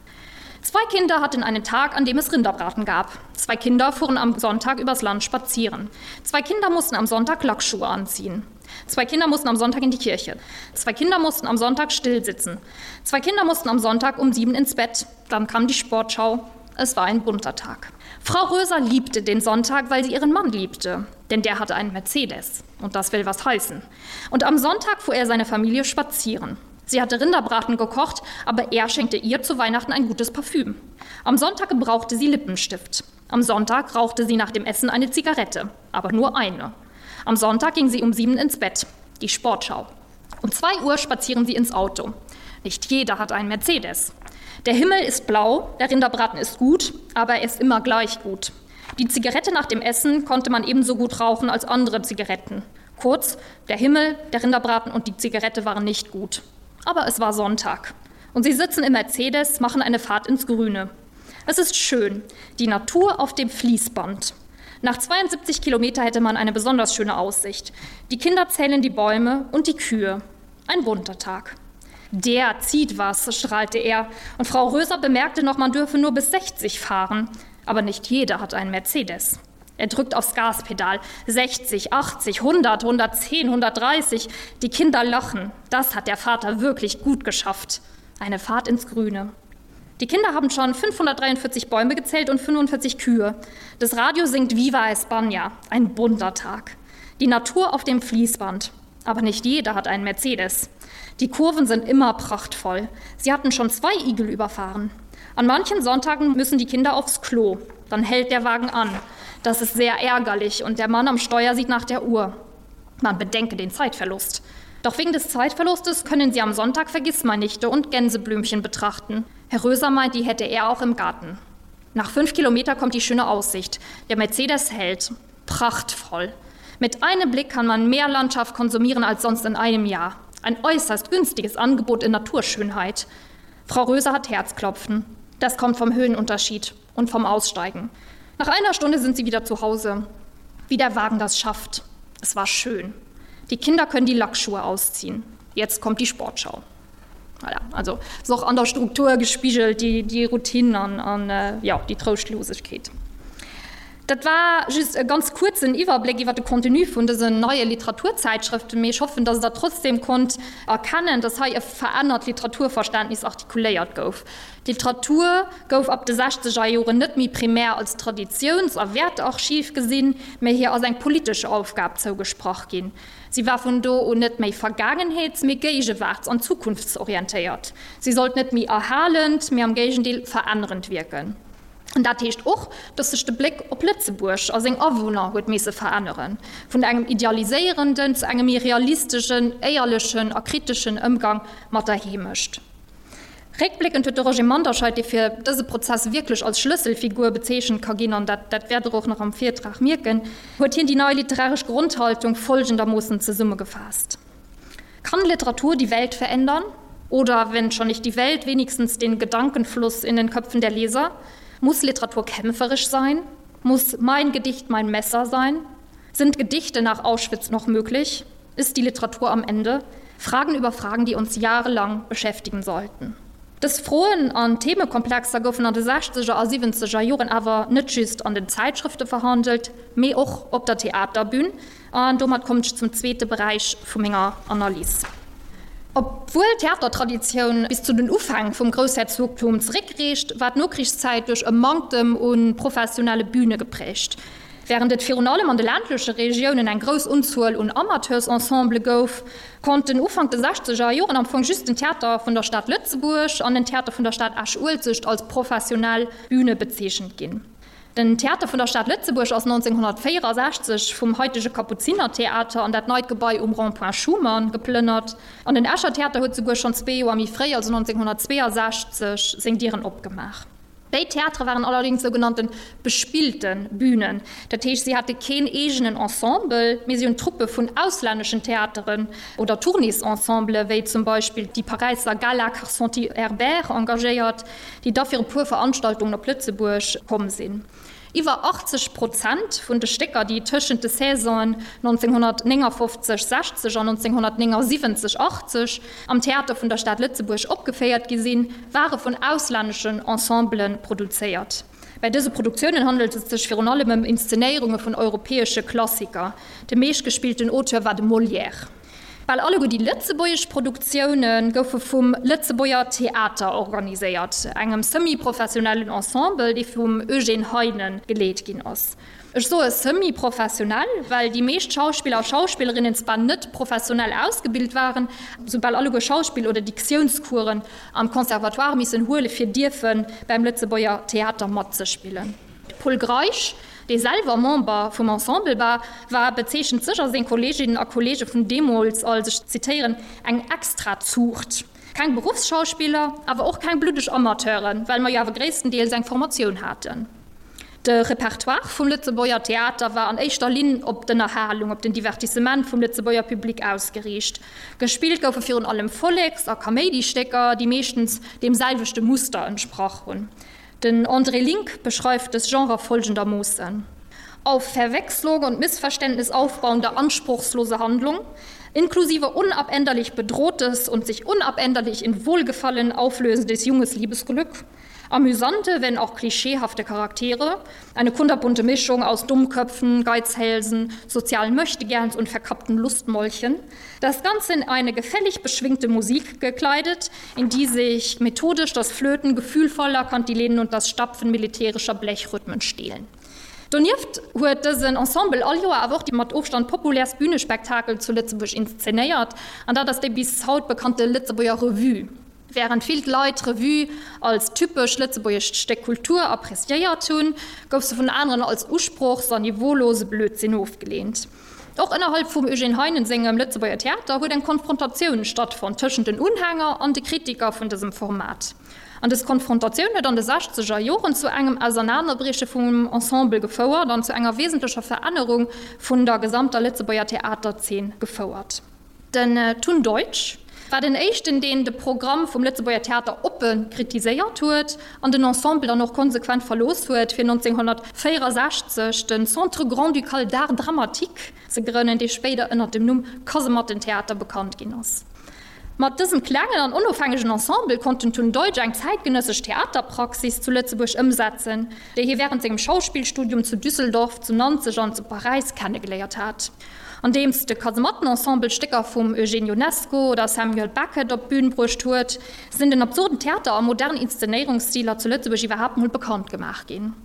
[SPEAKER 3] Zwei Kinder hatten einen Tag, an dem es Rinderbraten gab. Zwei Kinder fuhren am Sonntag übers Land spazieren. Zwei Kinder mussten am Sonntag Lackschuhe anziehen. Zwei Kinder mussten am Sonntag in die Kirche. Zwei Kinder mussten am Sonntag still sitzen. Zwei Kinder mussten am Sonntag um sieben ins Bett. Dann kam die Sportschau. Es war ein bunter Tag. Frau Röser liebte den Sonntag, weil sie ihren Mann liebte. Denn der hatte einen Mercedes. Und das will was heißen. Und am Sonntag fuhr er seine Familie spazieren. Sie hatte Rinderbraten gekocht, aber er schenkte ihr zu Weihnachten ein gutes Parfüm. Am Sonntag gebrauchte sie Lippenstift. Am Sonntag rauchte sie nach dem Essen eine Zigarette, aber nur eine. Am Sonntag ging sie um sieben ins Bett, die Sportschau. Um zwei Uhr spazieren sie ins Auto. Nicht jeder hat einen Mercedes. Der Himmel ist blau, der Rinderbraten ist gut, aber er ist immer gleich gut. Die Zigarette nach dem Essen konnte man ebenso gut rauchen als andere Zigaretten. Kurz, der Himmel, der Rinderbraten und die Zigarette waren nicht gut. Aber es war Sonntag. Und sie sitzen im Mercedes, machen eine Fahrt ins Grüne. Es ist schön, die Natur auf dem Fließband. Nach zweiundsiebzig Kilometer hätte man eine besonders schöne Aussicht. Die Kinder zählen die Bäume und die Kühe. Ein bunter Tag. Der zieht was, strahlte er. Und Frau Röser bemerkte noch, man dürfe nur bis sechzig fahren. Aber nicht jeder hat einen Mercedes. Er drückt aufs Gaspedal. sechzig, achtzig, hundert, hundertzehn, hundertdreißig. Die Kinder lachen. Das hat der Vater wirklich gut geschafft. Eine Fahrt ins Grüne. Die Kinder haben schon fünfhundertdreiundvierzig Bäume gezählt und fünfundvierzig Kühe. Das Radio singt Viva España. Ein bunter Tag. Die Natur auf dem Fließband. Aber nicht jeder hat einen Mercedes. Die Kurven sind immer prachtvoll. Sie hatten schon zwei Igel überfahren. An manchen Sonntagen müssen die Kinder aufs Klo. Dann hält der Wagen an. Das ist sehr ärgerlich und der Mann am Steuer sieht nach der Uhr. Man bedenke den Zeitverlust. Doch wegen des Zeitverlustes können sie am Sonntag Vergissmeinnichte und Gänseblümchen betrachten. Herr Röser meint, die hätte er auch im Garten. Nach fünf Kilometer kommt die schöne Aussicht. Der Mercedes hält. Prachtvoll. Mit einem Blick kann man mehr Landschaft konsumieren als sonst in einem Jahr. Ein äußerst günstiges Angebot in Naturschönheit. Frau Röser hat Herzklopfen. Das kommt vom Höhenunterschied und vom Aussteigen. Nach einer Stunde sind sie wieder zu Hause. Wie der Wagen das schafft. Es war schön. Die Kinder können die Lackschuhe ausziehen. Jetzt kommt die Sportschau. Voilà, also ist och an der Struktur gespigelt, déi, déi Routine an, an jo, déi Trouschtlosigkeet. Dat war just e ganz kuerzen Iwwerbléck iwwer de Contenu vun dësen neie Literaturzäitschrëften, mee ech hoffen, dass Der trotzdem konnt erkennen, dass hei e verännert Literaturverständnis artikuléiert gouf. D'Literatur gouf ab de Sechzegerjoren net méi primär als Traditiouns a Wäertearchiv gesinn, mee hir ass eng politesch Aufgab zougesprach ginn. Si war vun do un net méi vergaangenheets-, mee géigewaarts an zukunftsorientéiert. Si sollt net méi erhalend, mee am Géigendeel verännerend wierken. An dat heescht och, datt sech de Bléck op Lëtzebuerg a seng Awunner huet misse veränneren, vun engem idealiséierenden zu engem méi realisteschen, éierlechen a kriteschen Ëmgang mat der Heemecht. Réckbléckend huet de Roger Manderscheid, dee fir dëse Prozess wierklech als Schlësselfigur bezeechent ka ginn, an dat dat wäert Der och nach am Virtrag mierken, huet hien déi nei literaresch Grondhaltung folgendermoossen zesummegefaasst, Kann Literatur die Welt verändern? Oder, wenn schon nicht die Welt, wenigstens den Gedankenfluss in den Köpfen der Leser? Muss Literatur kämpferisch sein? Muss mein Gedicht mein Messer sein? Sind Gedichte nach Auschwitz noch möglich? Ist die Literatur am Ende? Fragen über Fragen, die uns jahrelang beschäftigen sollten. Dës Froen an Themekomplexer goufen an de sechzeger a siwwenzeger Joren awer net just an den Zäitschrëfte verhandelt, mee och op der Theaterbün. An domat kommen ech zum zweete Beräich vu menger Analys. Obwuel d'Theatertraditioun bis zu den Ufäng vum Groussherzogtum zeréckreecht, war d'Nokrichszäit duerch e Manktem u professionelle Büne geprägt. Wärend et virun allem an de ländleche Regiounen eng grouss Unzuel un Amateursensembele gouf, konnten Ufank de sechzeger Joren am Fong just den Theater vun der Stad Lëtzebuerg an den Theater vun der Stad Esch-Uelzecht als professionell Büne bezeechent ginn. Den Theater vun der Stad Lëtzebuerg ass nonzénghonnertvéierasechzeg vum haitege Kapuzinertheater an dat neit Gebai um Rond-point Schuman geplënnert an den Escher Theater huet souguer schonn zwee Joer méi fréi, also nonzénghonnertzweeasechzeg, seng Dieren opgemaach. Béid Theatere waren allerdéngs sougenannte bespillte Bünen, dat heescht, si hate keen eegenen Ensemble, mee si hunn Truppe vun auslänneschen Theateren oder Tournéesensemblen, wéi zum Beispill déi Paräisser Gala Karsenty-Herbert, engagéiert, déi da fir e puer Veranstaltungen op Lëtzebuerg komm sinn. Iwwer achtzeg Prozent vun de Stécker, déi tëschent de Saisonen nonzénghonnertnéngafofzeg, sechzeg an nonzénghonnertnéngasiwwenzeg, achtzeg am Theater vun der Stad Lëtzebuerg opgeféiert gi sinn, ware vun auslänneschen Ensembele produzéiert. Bei dëse Produktiounen handelt et sech virun allem ëm Inszenéierunge vun europäesche Klassiker. De meeschtgespillten Auteur war de Molière. Bal alleguer déi lëtzebuergesch Produktioune goufe vum Lëtzebuerger Theater organiséiert, engem semi-professionellen Ensemble, dee vum Eugène Heinen geleet ginn ass. Ech soe semi-professionell, well déi meescht Schauspiller a Schauspillerinnen zwar net professionell ausgebilt waren, sou bal alleguer Schauspill oder Diktiounscoursen am Conservatoire missen huele fir dierfe beim Lëtzebuerger Theater matzespillen. De Pol Greisch, dee selwer Member vum Ensemble war, war bezeechent sech a seng Kolleeginnen a Kolleege vun deemools als, ech zitéieren, eng Extrazuucht. Keng Beruffsschauspiller, awer och keng bluddeg Amateuren, well mer jo awer gréisstendeels eng Formatioun haten. De Repertoire vum Lëtzebuerger Theater war an éischter Linn op d'Ënnerhalung, op den Divertissement vum Lëtzebuerger Public ausgeriicht. Gespillt goufe virun allem Volleks a Kaméidistécker, déi meeschtens deem selwechte Muster entsprach hunn. Den André Link beschreift dës Genre folgendermoossen, Auf Verwechslung und Missverständnis aufbauende anspruchslose Handlung, inklusive unabänderlich bedrohtes und sich unabänderlich in Wohlgefallen auflösendes junges Liebesglück, amüsante, wenn auch klischeehafte Charaktere, eine kunterbunte Mischung aus Dummköpfen, Geizhälsen, sozialen Möchtegerns und verkappten Lustmolchen, das Ganze in eine gefällig beschwingte Musik gekleidet, in die sich methodisch das Flöten gefühlvoller Kantilenen und das Stapfen militärischer Blechrhythmen stehlen. Donieft huet dësen Ensemble all Joer awer och déi mat Ofstand populäerst Bünespektakel zu Lëtzebuerg inszenéiert, an dat ass déi bis haut bekannte Lëtzebuerger Revue. Wärend vill Leit d'Revue als typesch lëtzebuergescht Stéck Kultur appreciéiert hunn, gouf se vun aneren als usprochs an niveaulose Blödsinn ofgeleent. Och ënnerhalb vum Eugène Heinen sengem Lëtzebuerger Theater huet eng Konfrontatioun stattfonnt tëschent den Unhänger an de Kritiker vun dësem Format. An dës Konfrontatioun huet an de sechzeger Joren zu engem Ausernanerbrieche vum Ensemble gefouert an zu enger wesentlecher Verännerung vun der gesamter Lëtzebuerger Theaterzeen gefouert. Den Tun Deutsch war den éischten, deen de Programm vum Lëtzebuerger Theater oppe kritiséiert huet an den Ensemble dann och konsequent verlooss huet, fir nonzénghonnertvéierasechzeg den Centre Grand-Ducal d'Art Dramatique ze grënnen, dee spéider ënner dem Numm Kasemattentheater bekannt ginn ass. Mat dësem klengen an onofhängegen Ensemble konnt den Tun Deutsch eng zäitgenëssesch Theaterpraxis zu Lëtzebuerg ëmsetzen, déi hie wärend sengem Schauspillstudium zu Düsseldorf, zu Nanzeg an zu Paräis kennegeléiert hat. Andeems de Kasemattenensemble Stécker vum Eugène Ionesco oder Samuel Beckett op d'Bün bruecht huet, sinn den absurden Theater a modern Inszenéierungsstiler zu Lëtzebuerg iwwerhaapt mol bekannt gemaach ginn.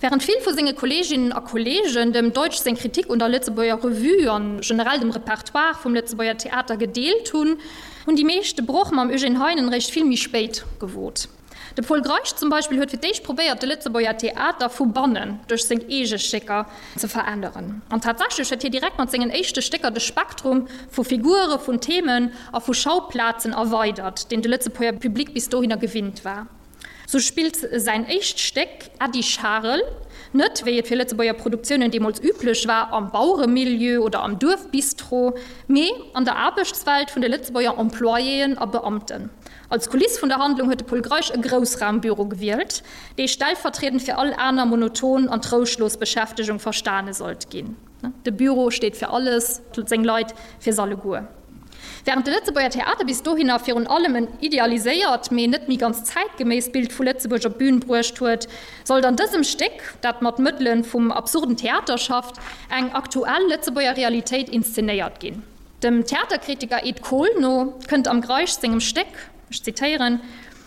[SPEAKER 3] Wärend vill vu senge Kolleeginnen a Kolleegen dem Deutsch seng Kritik un der Lëtzebuerger Revue an generell dem Repertoire vum Lëtzebuerger Theater gedeelt hunn, hunn déi meescht de Broch mam Eugène Heinen réischt vill méi spéit gewot. De Pol Greisch zum Beispill huet fir d'éischt probéiert, de Lëtzebuerger Theater vu bannen duerch seng eege Stécker ze veränneren. An tatsächlech huet hie direkt mat sengen éischte Stécker de Spektrum vu Figure, vun Themen a vu Schauplazen erweidert, deen de Lëtzebuerger Public bis dohinner gewinnt war. Sou spillt säin éischt Stéck Äddi Charel net, wéi et fir Lëtzebuerger Produktiounen deemools üblech war, am Baueremilieu oder am Duerfbistro, mee an der Aarbechtswelt vun de Lëtzebuerger Employéen a Beamten. Als Kuliss vun der Handlung huet de Pol Greisch e Groussraumbüro gewielt, dee stellvertriedend fir all aner monoton an trouschlos Beschäftegung verstane sollt ginn. De Büro steet fir alles, seng Leit fir s'alleguer. Wärend de Lëtzebuerger Theater bis dohinner virun allem en idealiséiert, mee net méi ganz zäitgeméisst Bild vu Lëtzebuerg op d'Bün bruecht huet, sollt an dësem Stéck, dat mat Mëttele vum absurden Theater schafft, eng aktuell Lëtzebuerger Realitéit inszenéiert ginn. Dem Theaterkritiker Ed Kohl no kënnt am Greisch sengem Stéck, ech zitéieren,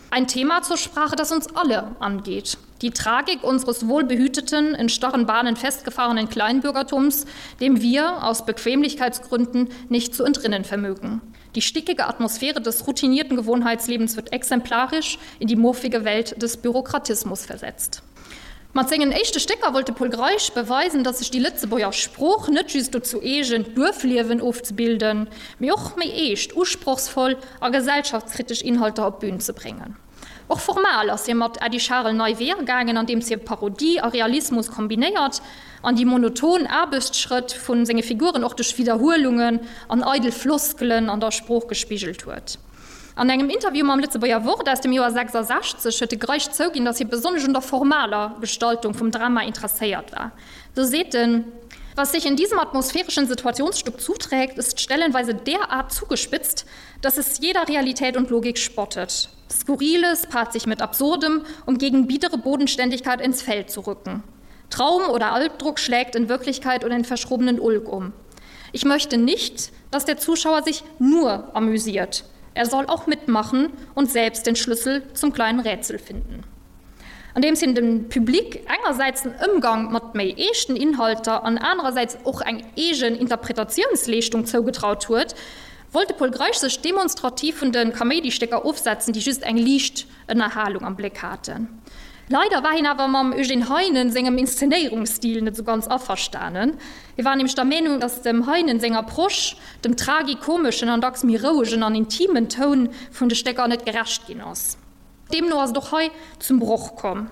[SPEAKER 3] Ein Thema zur Sprache, das uns alle angeht. Die Tragik unseres wohlbehüteten, in starren Bahnen festgefahrenen Kleinbürgertums, dem wir aus Bequemlichkeitsgründen nicht zu entrinnen vermögen. Die stickige Atmosphäre des routinierten Gewohnheitslebens wird exemplarisch in die muffige Welt des Bürokratismus versetzt. Mat sengen éischte Stécker wollt de Pol Greisch beweisen, datt sech déi Lëtzebuerger Sprooch net just dozou eegent, d'Duerfliewen ofzebilden, mee och méi eescht, usprochsvoll a gesellschaftskritesch Inhalter op d'Bün ze bréngen. Och formal ass hie mat Äddi Charel nei Weeër gaangen, andeems hie Parodie a Realismus kombinéiert an déi monoton Aarbechtsschrëtt vu senge Figuren och duerch Widderhuelungen an eidel Floskelen an der Sprooch gespigelt huet. An engem Interview mam Lëtzebuerger Wort aus dem Joer sechsasechzeg huet de Greisch zouginn, datt hie besonnesch un der formaler Gestaltung vum Drama interesséiert war. Do seet en, Was sich in diesem atmosphärischen Situationsstück zuträgt, ist stellenweise derart zugespitzt, dass es jeder Realität und Logik spottet. Skurriles paart sich mit Absurdem, um gegen biedere Bodenständigkeit ins Feld zu rücken. Traum oder Albdruck schlägt in Wirklichkeit oder in verschrobenen Ulk um. Ich möchte nicht, dass der Zuschauer sich nur amüsiert. Er soll auch mitmachen und selbst den Schlüssel zum kleinen Rätsel finden. Andeems hien dem Public engersäits den Ëmgang mat méi eeschten Inhalter an anerersäits och eng eegen Interpretatiounsleeschtung zougetraut huet, wollt de Pol Greisch sech demonstrativ vun de Kaméidistécker ofsetzen, déi just eng liicht Ënnerhalung am Bléck haten. Leider war hien awer mam Eugène Heinen sengem Inszenéierungsstil net sou ganz averstanen. Hie war nämlech der Meenung, datt dem Heinen seng Approche dem tragikomeschen an dacks méi rouegen an intimen Toun vun de Stécker net gerecht ginn ass. Deemno ass et och hei zum Broch komm.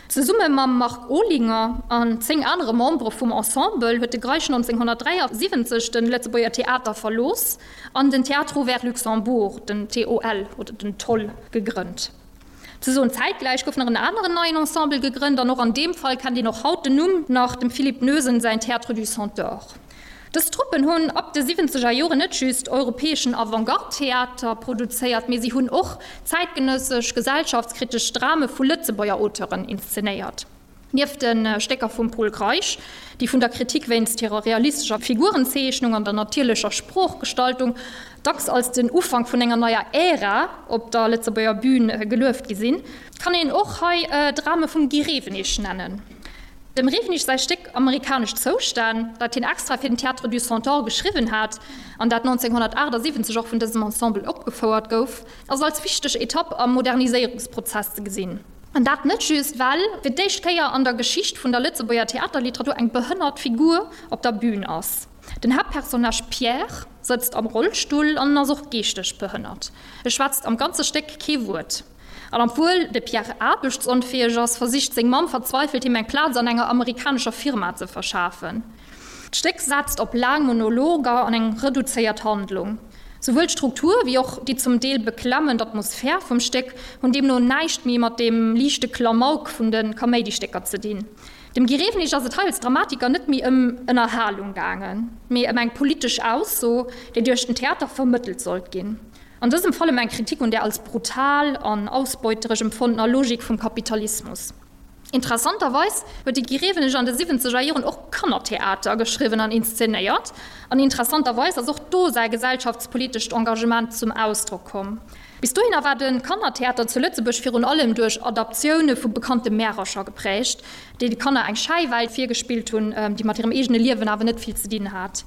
[SPEAKER 3] Zesumme mam Marc Olinger an zéng anere Membere vum Ensemble huet de Greisch nonzénghonnertdräiasiwwenzeg de Lëtzebuerger Theater verlooss an den Théâtre Ouvert Luxembourg, den T O L oder den TOL, gegrënnt. Ze soen, zäitgläich gouf nach en aneren neien Ensemble gegrënnt an och an deem Fall kennt een och haut den Numm nach, dem Philippe Noesen säin Théâtre du Centaure. Dës Truppen hunn ab de siwwenzeger Joren net just europäeschen Avantgarde-Theater produzéiert, mee si hunn och zäitgenëssesch gesellschaftskritesch Drame vu Lëtzebuerger Auteuren inszenéiert. Nieft de Stécker vum Pol Greisch, déi vun der Kritik wéinst hirer realistescher Figurenzeechnung an der natierlecher Sproochgestaltung dacks als den Ufank vun enger neier Ära op der Lëtzebuerger Bün gelueft gi sinn, kann een och hei Drame vum Guy Rewenig nennen. Dem Rewenig säi Stéck Amerikanesch Zoustänn, dat hien extra fir den Théâtre du Centaure geschriwwen hat an dat nonzénghonnertaachtsiwwenzeg och vun dësem Ensemble opgefouert gouf, ass als wichteg Etapp am Moderniséierungsprozess ze gesinn. An dat net just, well fir d'éischt Kéier an der Geschicht vun der Lëtzebuerger Theaterliteratur eng behënnert Figur op der Bün ass. Den Haaptpersonnage Pierre sëtzt am Rollstull an ass och geeschteg behënnert. E schwätzt am ganze Stéck kee Wuert. An obwuel de Pierre aarbechtsonfäeg ass, versicht seng Mamm verzweifelt, him eng Plaz an enger amerikanescher Firma ze verschafen. D'Stéck setzt op laang Monologer an eng reduzéiert Handlung. Souwuel d'Struktur wéi och déi zum Deel beklemmend Atmosphär vum Stéck hunn deemno näischt méi mat deem liichte Klamauk vun de Kaméidistécker ze dinn. Dem Guy Rewenig ass et hei als Dramatiker net méi ëm Ënnerhalung gaangen, mee ëm eng politesch Ausso, déi duerch den Theater vermëttelt sollt ginn. An dësem Fall ëm eng Kritik un där als brutal an ausbeuteresch empfonnener Logik vum Kapitalismus. Interessanterweis huet de Guy Rewenig an de siwwenzeger Joren och Kannertheater geschriwwen an inszenéiert. An interessanterweis ass och do säi gesellschaftspolitescht Engagement zum Ausdrock komm. Bis dohinner war de Kannertheater zu Lëtzebuerg virun allem duerch Adaptioune vu bekannte Märercher geprägt, déi de Kanner eng Schäiwelt virgespillt hunn, déi mat hirem eegene Liewen awer net vill ze dinn hat.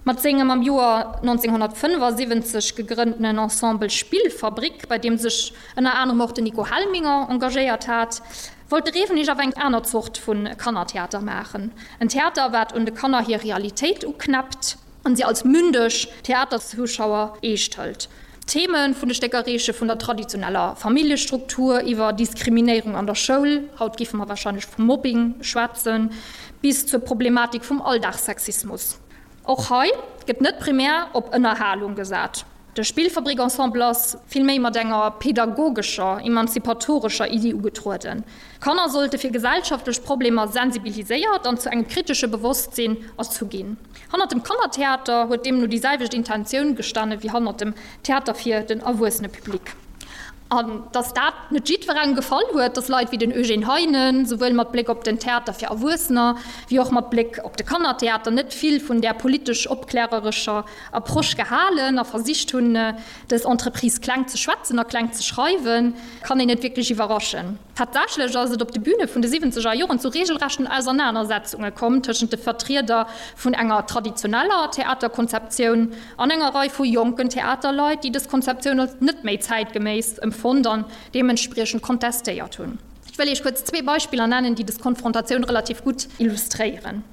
[SPEAKER 3] Mat sengem am Joer neunzehnhundertfünfundsiebzig gegrënnten Ensemble Spielfabrik, bei deem sech ënner anerem och den Nico Helminger engagéiert hat, wollt de Rewenig awer eng aner Zort vu Kannertheater maachen. En Theater, wat un de Kanner hir Realitéit uknäppt an si als mündeg Theaterzuschauer eescht hëlt. D'Theme vun de Stécker reeche vun der traditioneller Familljestruktur iwwer Diskriminéierung an der Schoul, haut géife mer warscheinlech vu Mobbing schwätzen, bis zur Problematik vum Alldagssexismus. Och hei gëtt net primär op Ënnerhalung gesat. De Spillfabrik-Ensemble ass vill méi mat enger pedagogescher, emanzipatorescher Iddi ugetrueden. Kanner sollte fir gesellschaftlech Problemer sensibiliséiert an zu engem kritesche Bewosstsinn erzu ginn. Hannert dem Kannertheater huet deemno déi selwecht Intentioun gestane wéi hannert dem Theater fir den erwuessene Public. An dass dat net jiddwerengem gefall huet, dass Leit wéi den Eugène Heinen souwuel mat Bléck op den Theater fir Erwuessener wéi och mat Bléck op de Kannertheater net vill vun där politesch-opklärerescher Approche gehalen a versicht hunn, dës Entreprise kleng ze schwätzen a kleng ze schreiwen, kann een net wierklech iwwerraschen. Tatsächlech ass et op de Büne vun de siwwenzeger Joren zu reegelrechten Ausernanersetzunge komm tëschent de Vertrieder vun enger traditioneller Theaterkonzeptioun an enger Rei vu jonken Theaterleit, déi dës Konzeptioun als net méi zäitgeméiss empfonnt an deementspriechend kontestéiert hunn. Ech wëll Iech kuerz zwee Beispiller nennen, déi dës Konfrontatioun relativ gutt illustréieren.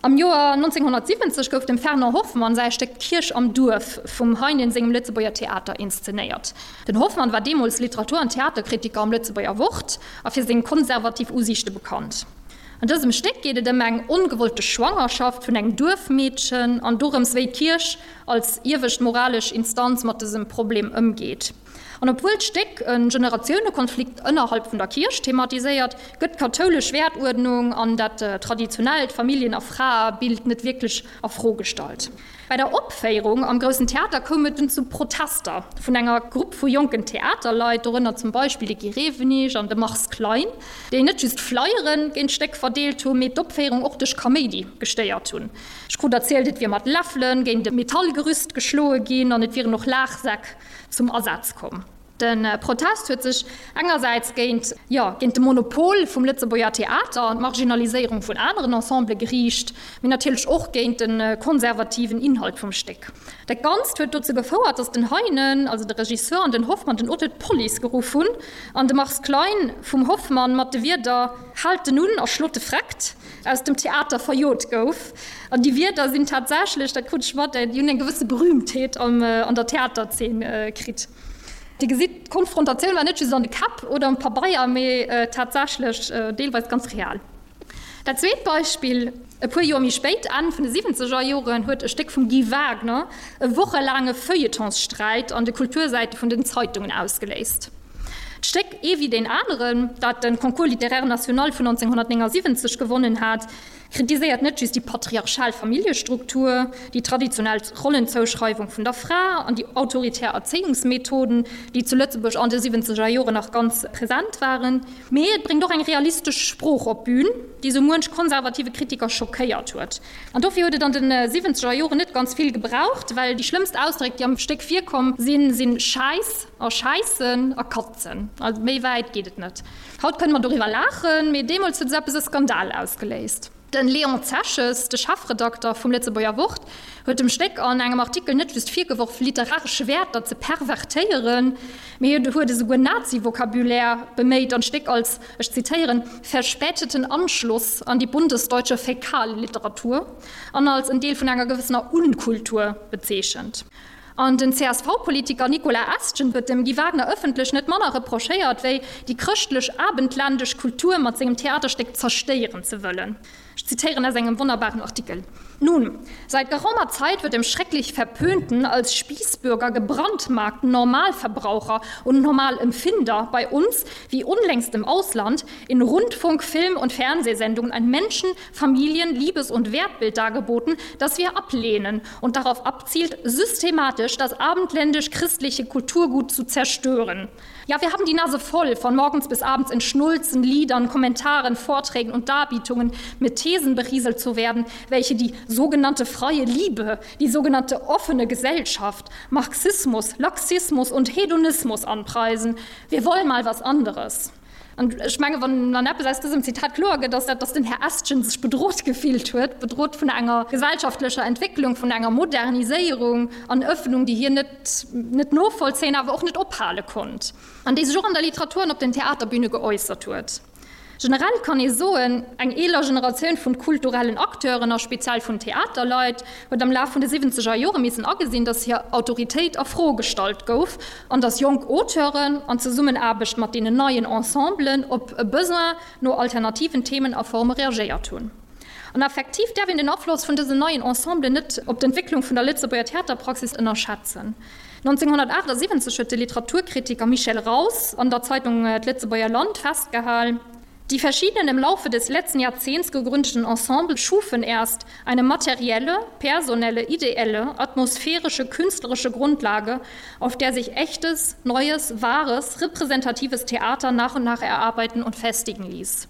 [SPEAKER 3] Am Joer neunzehnhundertsiwwenzeg gouf dem Fernand Hoffmann säi Stéck D'Kierch am Duerf vum Heinen sengem Lëtzebuerger Theater inszenéiert. Den Hoffmann war deemools Literatur an Theaterkritiker am Lëtzebuerger Wort a fir seng konservativ Usiichte bekannt. An dësem Stéck geet et ëm eng ongewollte Schwangerschaft vun engem Duerfmeedchen an dorëms, wéi d'Kierch als iewescht moralesch Instanz mat dësem Problem ëmgeet. An obwuel d'Stéck e Generatiounekonflikt ënnerhalb vun der Kierch thematiséiert, gëtt d'kathoulesch Wäertuerdnung an dat traditionellt Familljen a Fraebild net wierklech a Fro gestallt. Bei der Opféierung am Groussen Theater koum et dunn zu Protester vun enger Grupp vu jonken Theaterleit, dorënner zum Beispill de Guy Rewenig an de Mars Klein, déi net just Flyere géint d'Stéck verdeelt hunn, mee d'Opféierung och duerch Kaméidi gestéiert hunn. Ech krut erzielt, et wier mat Läffele géint e Metallgerüst geschloe ginn an et wieren och Laachsäck zum Asaz komm. De Protest huet sech engersäits géint, jo, géint de Monopol vum Lëtzebuerger Theater an d'Marginaliséierung vun aneren Ensembele geriicht, mee natierlech och géint de konservativen Inhalt vum Stéck. Dat Ganzt huet dozou gefouert, datt den Heinen, also de Regisseur, an den Hoffmann, den Auteur, d'Police geruff hunn an de Mars Klein vum Hoffmann mat de Wierder Haalt en un a schlot de Freckt! aus dem Theater verjot gouf. An déi Wierder sinn tatsächlech, dat krut ech mat, déi hunn eng gewësse Berühmtheet an der Theaterzeen kritt. Dir gesitt, d'Konfrontatioun war net just an de Käpp oder um Pabeier, mee tatsächlech deelweis ganz real. Dat zweet Beispill, E puer Joer méi spéit, Enn vun de siwwenzeger Joren, huet e Stéck vum Guy Wagner e wochelaange Feuilletonssträit an de Kultursäite vun den Zeitungen ausgeléist. D'Stéck Ee wéi deen aneren, dat de Concours littéraire national vun neunzehnhundertneunundsiebzig gewonnen hat, kritiséiert net just déi patriarchal Familljestruktur, déi traditionell Rollenzouschreiwung vun der Fra an déi autoritär Erzéiungsmethoden, déi zu Lëtzebuerg an de siwwenzeger Joren nach ganz present waren, mee et bréngt och eng realistesch Sprooch op d'Bün, déi sou muench konservative Kritiker schockéiert huet. An dofir huet et an de siwwenzeger Joren net ganz vill gebraucht, well déi schlëmmst Ausdréck, déi am Stéck virkomm sinn, sinn Schäiss a Schäissen a Katzen. Also méi wäit geet et net. Haut kënne mer doriwwer laachen, mee deemools huet esou eppes e Skandal ausgeléist. De Léon Zeches, de Chefredakter vum Lëtzebuerger Wort, huet dem Stéck an engem Artikel net just virgeworf, literaresch Wäerter ze pervertéieren, mee huet esouguer Nazi-Vocabulaire beméit an d'Stéck als, ech zitéieren, verspäteten Anschluss an die bundesdeutsche Fäkalliteratur an als en Deel vun enger gewëssener Unkultur bezeechent. An den C S V-Politiker Nicolas Estgen huet dem Guy Wagner ëffentlech net manner reprochéiert, wéi déi chrëschtlech-abendländesch Kultur mat sengem Theaterstéck zerstéieren ze wëllen. Ech zitéieren aus engem wonnerbaren Artikel, Nun, seit geraumer Zeit wird dem schrecklich verpönten, als Spießbürger gebrandmarkten Normalverbraucher und Normalempfinder bei uns, wie unlängst im Ausland, in Rundfunk-, Film und Fernsehsendungen ein Menschen-, Familien-, Liebes- und Wertbild dargeboten, das wir ablehnen und darauf abzielt, systematisch das abendländisch-christliche Kulturgut zu zerstören. Ja, wir haben die Nase voll von morgens bis abends in Schnulzen, Liedern, Kommentaren, Vorträgen und Darbietungen mit Thesen berieselt zu werden, welche die sogenannte freie Liebe, die sogenannte offene Gesellschaft, Marxismus, Laxismus und Hedonismus anpreisen. Wir wollen mal was anderes. An ech mengen, wann dann eppes aus dësem Zitat kloer gëtt, ass dat, dass den Här Estgen sech bedrot gefillt huet, bedrot vun enger gesellschaftlecher Entwécklung, vun enger Moderniséierung an Ëffnung, déi hien net net novollzéien, awer och net ophale konnt, an déi sech och an der Literatur an op den Theaterbüne geäussert huet. Generell kann ee soen, eng eeler Generatioun vun kulturellen Acteuren a speziell vun Theaterleit huet am Laf vun de siwwenzeger Jore missen agesinn, datt hir Autoritéit a Fro gestallt gouf an datt jonk Auteuren an Zesummenaarbecht mat deenen neien Ensemblen op e Besoin no alternativen Themen a Forme reagéiert hunn. An effektiv däerf een den Afloss vun dësen neien Ensemblen net op d'Entwécklung vun der Lëtzebuerger Theaterpraxis ënnerschätzen. nonzénghunnertaachtsiwwenzeg huet de Literaturkritiker Michel Raus an der Zeitung D'Lëtzebuerger Land festgehal, Die verschiedenen im Laufe des letzten Jahrzehnts gegründeten Ensemble schufen erst eine materielle, personelle, ideelle, atmosphärische, künstlerische Grundlage, auf der sich echtes, neues, wahres, repräsentatives Theater nach und nach erarbeiten und festigen ließ.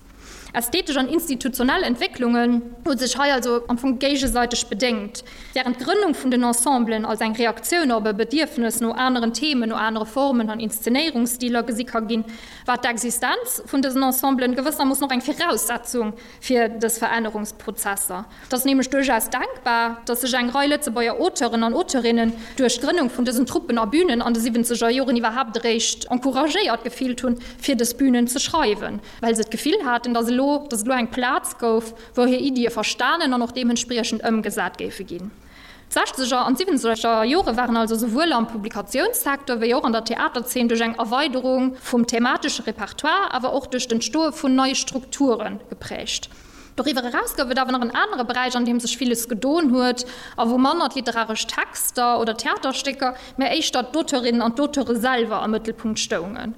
[SPEAKER 3] Ästhetesch an institutionell Entwécklungen hu sech hei also am Fong géigesäiteg bedéngt. Wärend d'Grënnung vun den Ensemblen als eng Reaktioun op e Bedierfnes no aneren Themen, no anere Formen an Inszenéierungsstiler gesi ka ginn, war d'Existenz vun dësen Ensemblen gewëssermoossen och eng Viraussetzung fir dës Verännerungsprozesser. Et ass nämlech duerchaus denkbar, datt sech eng Rei Lëtzebuerger Auteuren an Auteurinnen duerch d'Grënnung vun dësen Truppen a Bünen an de siwwenzeger Joren iwwerhaapt eréischt encouragéiert gefillt hunn, fir dës Bünen ze schreiwen, well se d'Gefill haten, datt elo, datt et elo eng Plaz gouf, wou hir Iddie verstanen an och deementspriechend ëmgesat géife ginn. D'Sechzeger an d'Siwwenzeger Jore waren also souwuel am Publikatiounssecteur wéi och an der Theaterzeen duerch eng Erweiderung vum thematesche Repertoire, awer och duerch d'Entstoe vun neie Strukture geprägt. Doriwwer eraus gouf et awer nach en anere Beräich, an deem sech villes gedoen huet a wou manner d'literaresch Texter oder Theaterstécker, mä éischter d'Auteurinnen an d'Auteure selwer am Mëttelpunkt stoungen.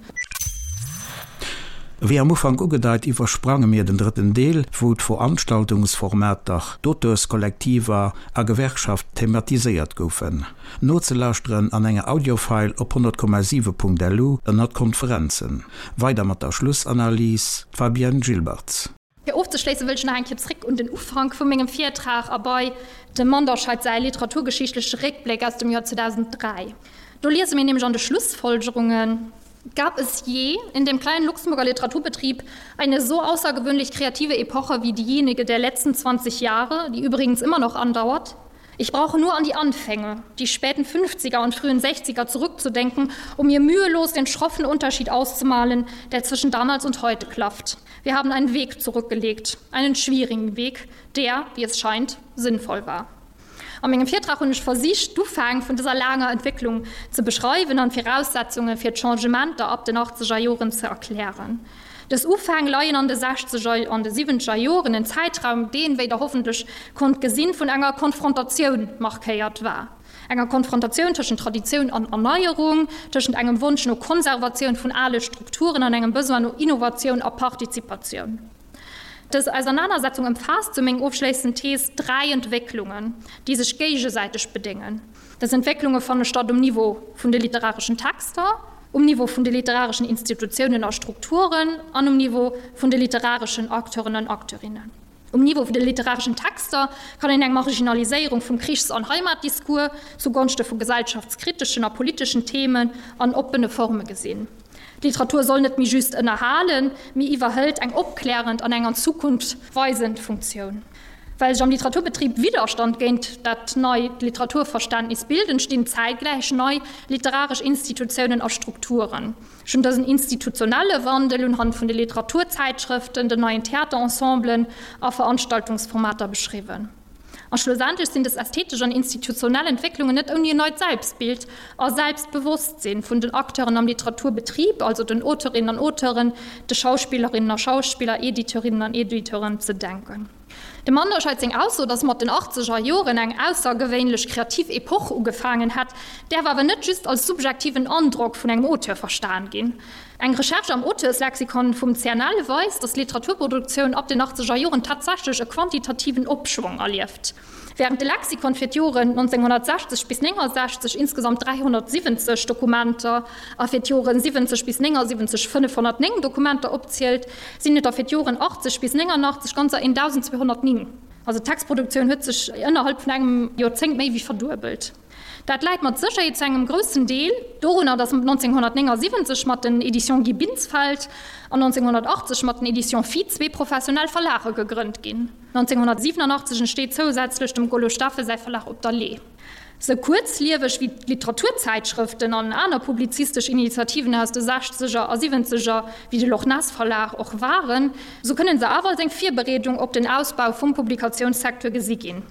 [SPEAKER 1] Wéi am Ufank ugedeit, iwwersprange mir den drëtten Deel, wou d'Veranstaltungsformater, d'Auteurskollektiver a Gewerkschaft thematiséiert goufen. Nozelauschteren an enger Audiofile op honnert Komma siwe Punkt lu ënnert Konferenzen. Weider mat der Schlussanalys, d'Fabienne Gilbertz.
[SPEAKER 3] Fir ofzeschléissen, wëll ech nach eng Kéier zréck un den Ufank vu mengem Virtrag a bei dem Manderscheid säi literaturgeschichtleche Réckbléck aus dem Joer zweedausenddräi. Do liese mir nämlech an de Schlussfolgerungen, Gab es je in dem kleinen Luxemburger Literaturbetrieb eine so außergewöhnlich kreative Epoche wie diejenige der letzten zwanzig Jahre, die übrigens immer noch andauert? Ich brauche nur an die Anfänge, die späten fünfziger und frühen sechziger zurückzudenken, um mir mühelos den schroffen Unterschied auszumalen, der zwischen damals und heute klafft. Wir haben einen Weg zurückgelegt, einen schwierigen Weg, der, wie es scheint, sinnvoll war. A mengem Virtrag hunn ech versicht, d'Ufäng vun dëser laanger Entwécklung ze beschreiwen an d'Viraussetzunge fir d'Changementer ab den achtzeger Joren ze erklären. Dës Ufäng leien an de sechzeger an de siwwenzeger Joren, en Zäitraum, deen, wéi Der hoffentlech konnt gesinn, vun enger Konfrontatioun markéiert war. Enger Konfrontatioun tëschent Traditioun an Erneierung, tëschent engem Wonsch no Konservatioun vun ale Strukturen an engem Besoin no Innovatioun a Partizipatioun. Dës Ausernanersetzung ëmfaasst, sou meng ofschléissend Thees, dräi Entwécklungen, déi sech géigesäiteg bedéngen. Dës Entwécklunge fanne statt um Niveau vun de literareschen Texter, um Niveau vun de literareschen Institutiounen a Strukturen an um Niveau vun de literareschen Acteuren an Acteurinnen. Um Niveau vun de literareschen Texter kann een eng Marginaliséierung vum Krichs an Heimatdiscours zugonschte vu gesellschaftskriteschen a politeschen Themen an oppene Forme gesinn. D'Literatur soll net méi just ënnerhalen, mee iwwerhëlt eng opklärend an eng an d'Zukunft weisend Funktioun. Well sech am Literaturbetrib Widderstand géint dat neit Literaturverständnis bilt, entstinn zäitgläich nei literaresch Institutiounen a Strukturen. Ech hunn dësen institutionelle Wandel unhand vun de Literaturzäitschrëften, den neien Theaterensemblen a Veranstaltungsformater beschriwwen. A schlussendlech sinn dës ästhetesch an institutionell Entwécklungen net ouni en neit Selbstbild a Selbstbewosstsinn vun den Acteuren am Literaturbetrib, also den Auteurinnen an Auteuren, de Schauspillerinnen a Schauspiller, Editeurinnen an Editeuren, ze denken. Dem Manderscheid seng Ausso, datt mat den achtzeger Joren eng aussergewéinlech kreativ Epoch ugefaangen hätt, däerf awer net just als subjektiven Androck vun engem Auteur verstan ginn. Eng Recherche am Auteurslexikon vum C N L weist, datt d'Literaturproduktioun ab den achtzeger Joren tatsächlech e quantitativen Opschwong erlieft. Wärend de Lexikon fir d'Joren nonzénghunnertsechzeg bis néngensechzeg insgesamt dräihonnertsiwwenzeg Dokumenter a fir d'Joren siwwenzeg bis néngesiwwenzeg fënnefhonnertnéng Dokumenter opzielt, sinn et der fir d'Joren achtzeg bis néngernachtzeg ganzer eentausendzweehonnertnéng. Also d'Textproduktioun huet sech ënnerhalb vun engem Joerzéngt méi wéi verduebelt. Dat läit mat Sécherheet zu engem groussen Deel dorunner, datt neunzehnhundertneunundsiebzeg mat den Éditions Guy Binsfeld an neunzehnhundertachtzeg mat den Éditions Phi zwee professionell Verlage gegrënnt ginn. neunzehnhundertsiebenundachtzeg entsteet zousätzlech dem Golo Steffen säi Verlag Op der Lee. Sou kuerzlieweg wéi d'Literaturzeitschrëften an aner publizistesch Initiativen aus de Sechzeger a Siwwenzeger wéi de Loch Ness Verlag och waren, sou kënnen se awer als eng Virbereedung op den Ausbau vum Publikatiounssecteur gesi ginn.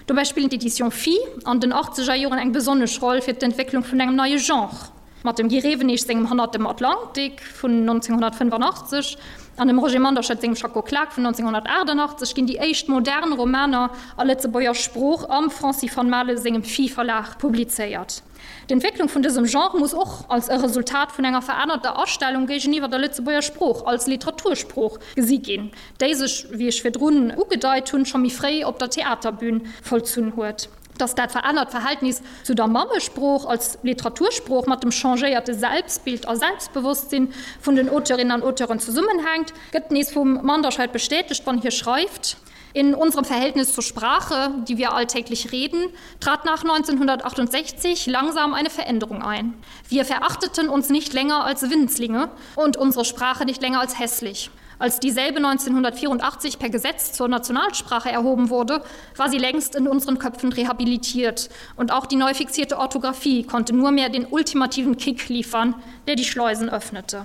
[SPEAKER 3] Dobäi spillen d'Éditions Phi an den achtzeger Joren eng besonnesch Roll fir d'Entwécklung vun engem neie Genre. Mat dem Guy Rewenig sengem Hannert dem Atlantik vun neunzehnhundertfënnefenachtzeg an dem Roger Manderscheid sengem Schacko Klak vun neunzehnhundertachtundachtzeg ginn déi éischt modern Romaner a Lëtzebuerger Sprooch am Francis van Male sengem Phi-Verlag publizéiert. D'Entwécklung vun dësem Genre muss och als e Resultat vun enger verännerter Astellung géigeniwwer der Lëtzebuerger Sprooch als Literatursprooch gesi ginn, déi sech, wéi ech virdrun ugedeit hunn, scho méi fréi op der Theaterbün vollzunn huet. Dass dat verännert Verhältnis zu der Mammesprooch als Literatursprooch mat dem changéierte Selbstbild a Selbstbewosstsinn vun den Auteurinnen an Auteuren zesummenhänkt, gëtt nees vum Manderscheid bestätegt, wann hie schreift, In unserem Verhältnis zur Sprache, die wir alltäglich reden, trat nach neunzehnhundertachtundsechzig langsam eine Veränderung ein. Wir verachteten uns nicht länger als Winzlinge und unsere Sprache nicht länger als hässlich. Als dieselbe neunzehnhundertvierundachtzig per Gesetz zur Nationalsprache erhoben wurde, war sie längst in unseren Köpfen rehabilitiert. Und auch die neu fixierte Orthographie konnte nur mehr den ultimativen Kick liefern, der die Schleusen öffnete.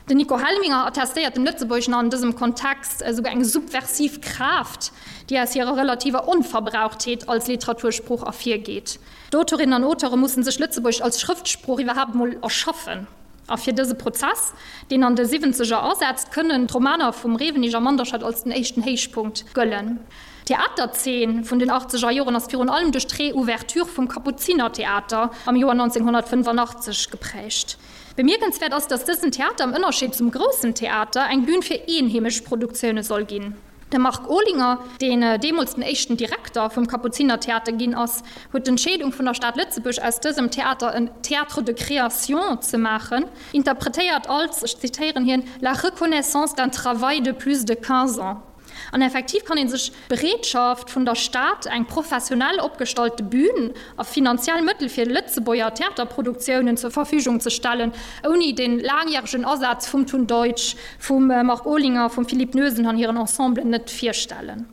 [SPEAKER 3] Den Nico Helminger attestéiert dem Lëtzebuergeschen an dësem Kontext esouguer eng subversiv Kraaft, déi aus hirer relativer Onverbrauchtheet als Literatursprooch ervirgeet. D'Autorinnen an Auteure mussen sech Lëtzebuergesch als Schrëftsprooch iwwerhaapt emol erschaffen. A fir dëse Prozess, deen an de Siwwenzeger asetzt, kënnen d'Romaner vum Rewenig a Manderscheid als den éischten Héichpunkt gëllen. D'Theaterzeen vun den achtzeger Joren ass virun allem duerch d'Reouverture vum Kapuzinertheater am Joer neunzehnhundertfënnefenachtzeg geprägt. Bemierkenswäert ass, datt dësen Theater am Ënnerscheed zum Groussen Theater eng Bün fir eenheemesch Produktioune soll ginn. De Marc Olinger, deen deemools den éischten Direkter vum Kapuzinertheater ginn ass, huet d'Entscheedung vun der Stad Lëtzebuerg, aus dësem Theater en Théâtre de création ze maachen, interpretéiert als, ech zitéieren hien, la reconnaissance d'un travail de plus de quinze ans. An effektiv kann ee sech d'Bereetschaft vun der Stad, eng professionell opgestallte Bün a finanziell Mëttel fir Lëtzebuerger Theaterproduktiounen zur Verfügung ze stellen, ouni de laangjäregen Asaz vum Tun Deutsch, vum Marc Olinger, vum Philippe Noesen an hiren Ensemblen net virstellen.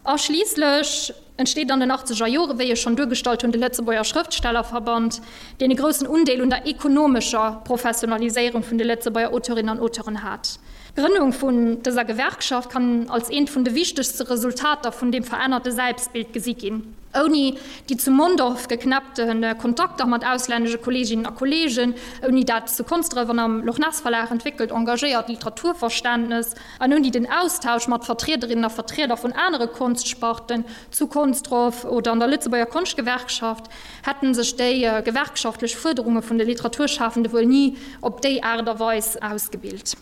[SPEAKER 3] A schliisslech entsteet an den achtzeger Jore, wéi ech schonn duergestallt hunn, de Lëtzebuerger Schrëftstellerverband, deen e groussen Undeel un der ekonomescher Professionaliséierung vun de Lëtzebuerger Auteurinnen an Auteuren hat. D'Grënnung vun dëser Gewerkschaft kann als eent vun de wichtegste Resultater vun deem verännerte Selbstbild gesi ginn. Ouni déi zu Mondorf geknäppte Kontakter mat auslännesche Kolleeginnen a Kolleegen, ouni dat zu Konsdref an am Loch-Ness-Verlag entwéckelt engagéiert Literaturverständnes an ouni den Austausch mat Vertriederinnen a Vertrieder vun anere Konstsparten zu Konsdref oder an der Lëtzebuerger Konschtgewerkschaft, hätten sech déi gewerkschaftlech Fuerderunge vun de Literaturschafende wuel ni op déi Aart a Weis ausgebilt.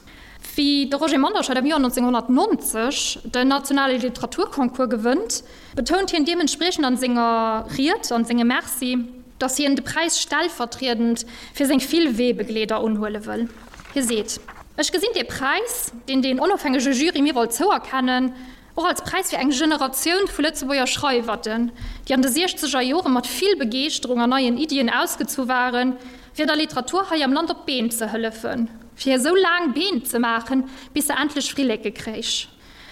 [SPEAKER 3] Wéi de Roger Manderscheid am Joer neunzehnhundertneunzeg den nationale Literaturconcours gewënnt, betount hien deementspriechend an senger Ried, an sengem Merci, datt hien de Präis stellvertriedend fir seng vill Weebegleeder unhuele wëll. Hie seet, Ech gesinn dee Präis, deen deen onofhängege Jury mir wollt zouerkennen, och als Präis fir eng Generatioun vu Lëtzebuerger Schreiwerten, déi an de siechzeger Jore mat vill Begeeschterung an neien Iddien ausgezu waren, fir der Literatur hei am Land op d'Been ze hëllefen, fir hir esou laang Been ze maachen, bis se endlech Flilleke kréich.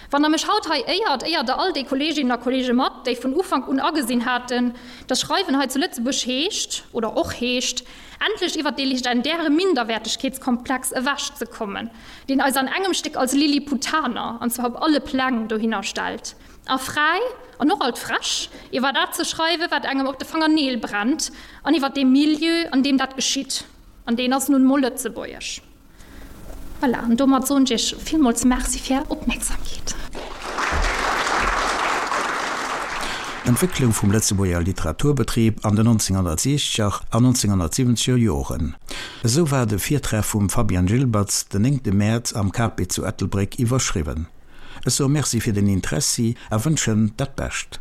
[SPEAKER 3] Wann Der mech haut hei éiert, éiert Der all déi Kolleeginnen a Kolleege mat, déi vun Ufank un agesinn haten, dass Schreiwen hei zu Lëtzebuerg heescht, oder och heescht, endlech iwwer dee legendäre Minderwäertegkeetskomplex ewechzekommen, deen eis an engem Stéck als Lilliputaner, an zwar op alle Pläng, dohinner stellt. A fräi, an och alt frech, iwwer dat ze schreiwen, wat engem op de Fangerneel brennt, an iwwer dee Milieu, an deem dat geschitt. An deen ass nun emol Lëtzebuergesch. Voilà, an domat soen ech Iech villmools Merci fir Är Opmierksamkeet.
[SPEAKER 1] D'Entwécklung vum Lëtzebuerger Literaturbetrib an den neunzehnhundertsiechzeger an neunzehnhundertsiwwenzeger Joren. Esou war de Virtrag vum Fabian Gilbertz den néngte Mäerz am Cape zu Ettelbréck iwwerschriwwen. Ech soe Merci fir den Interessi a wënschen dat Bescht.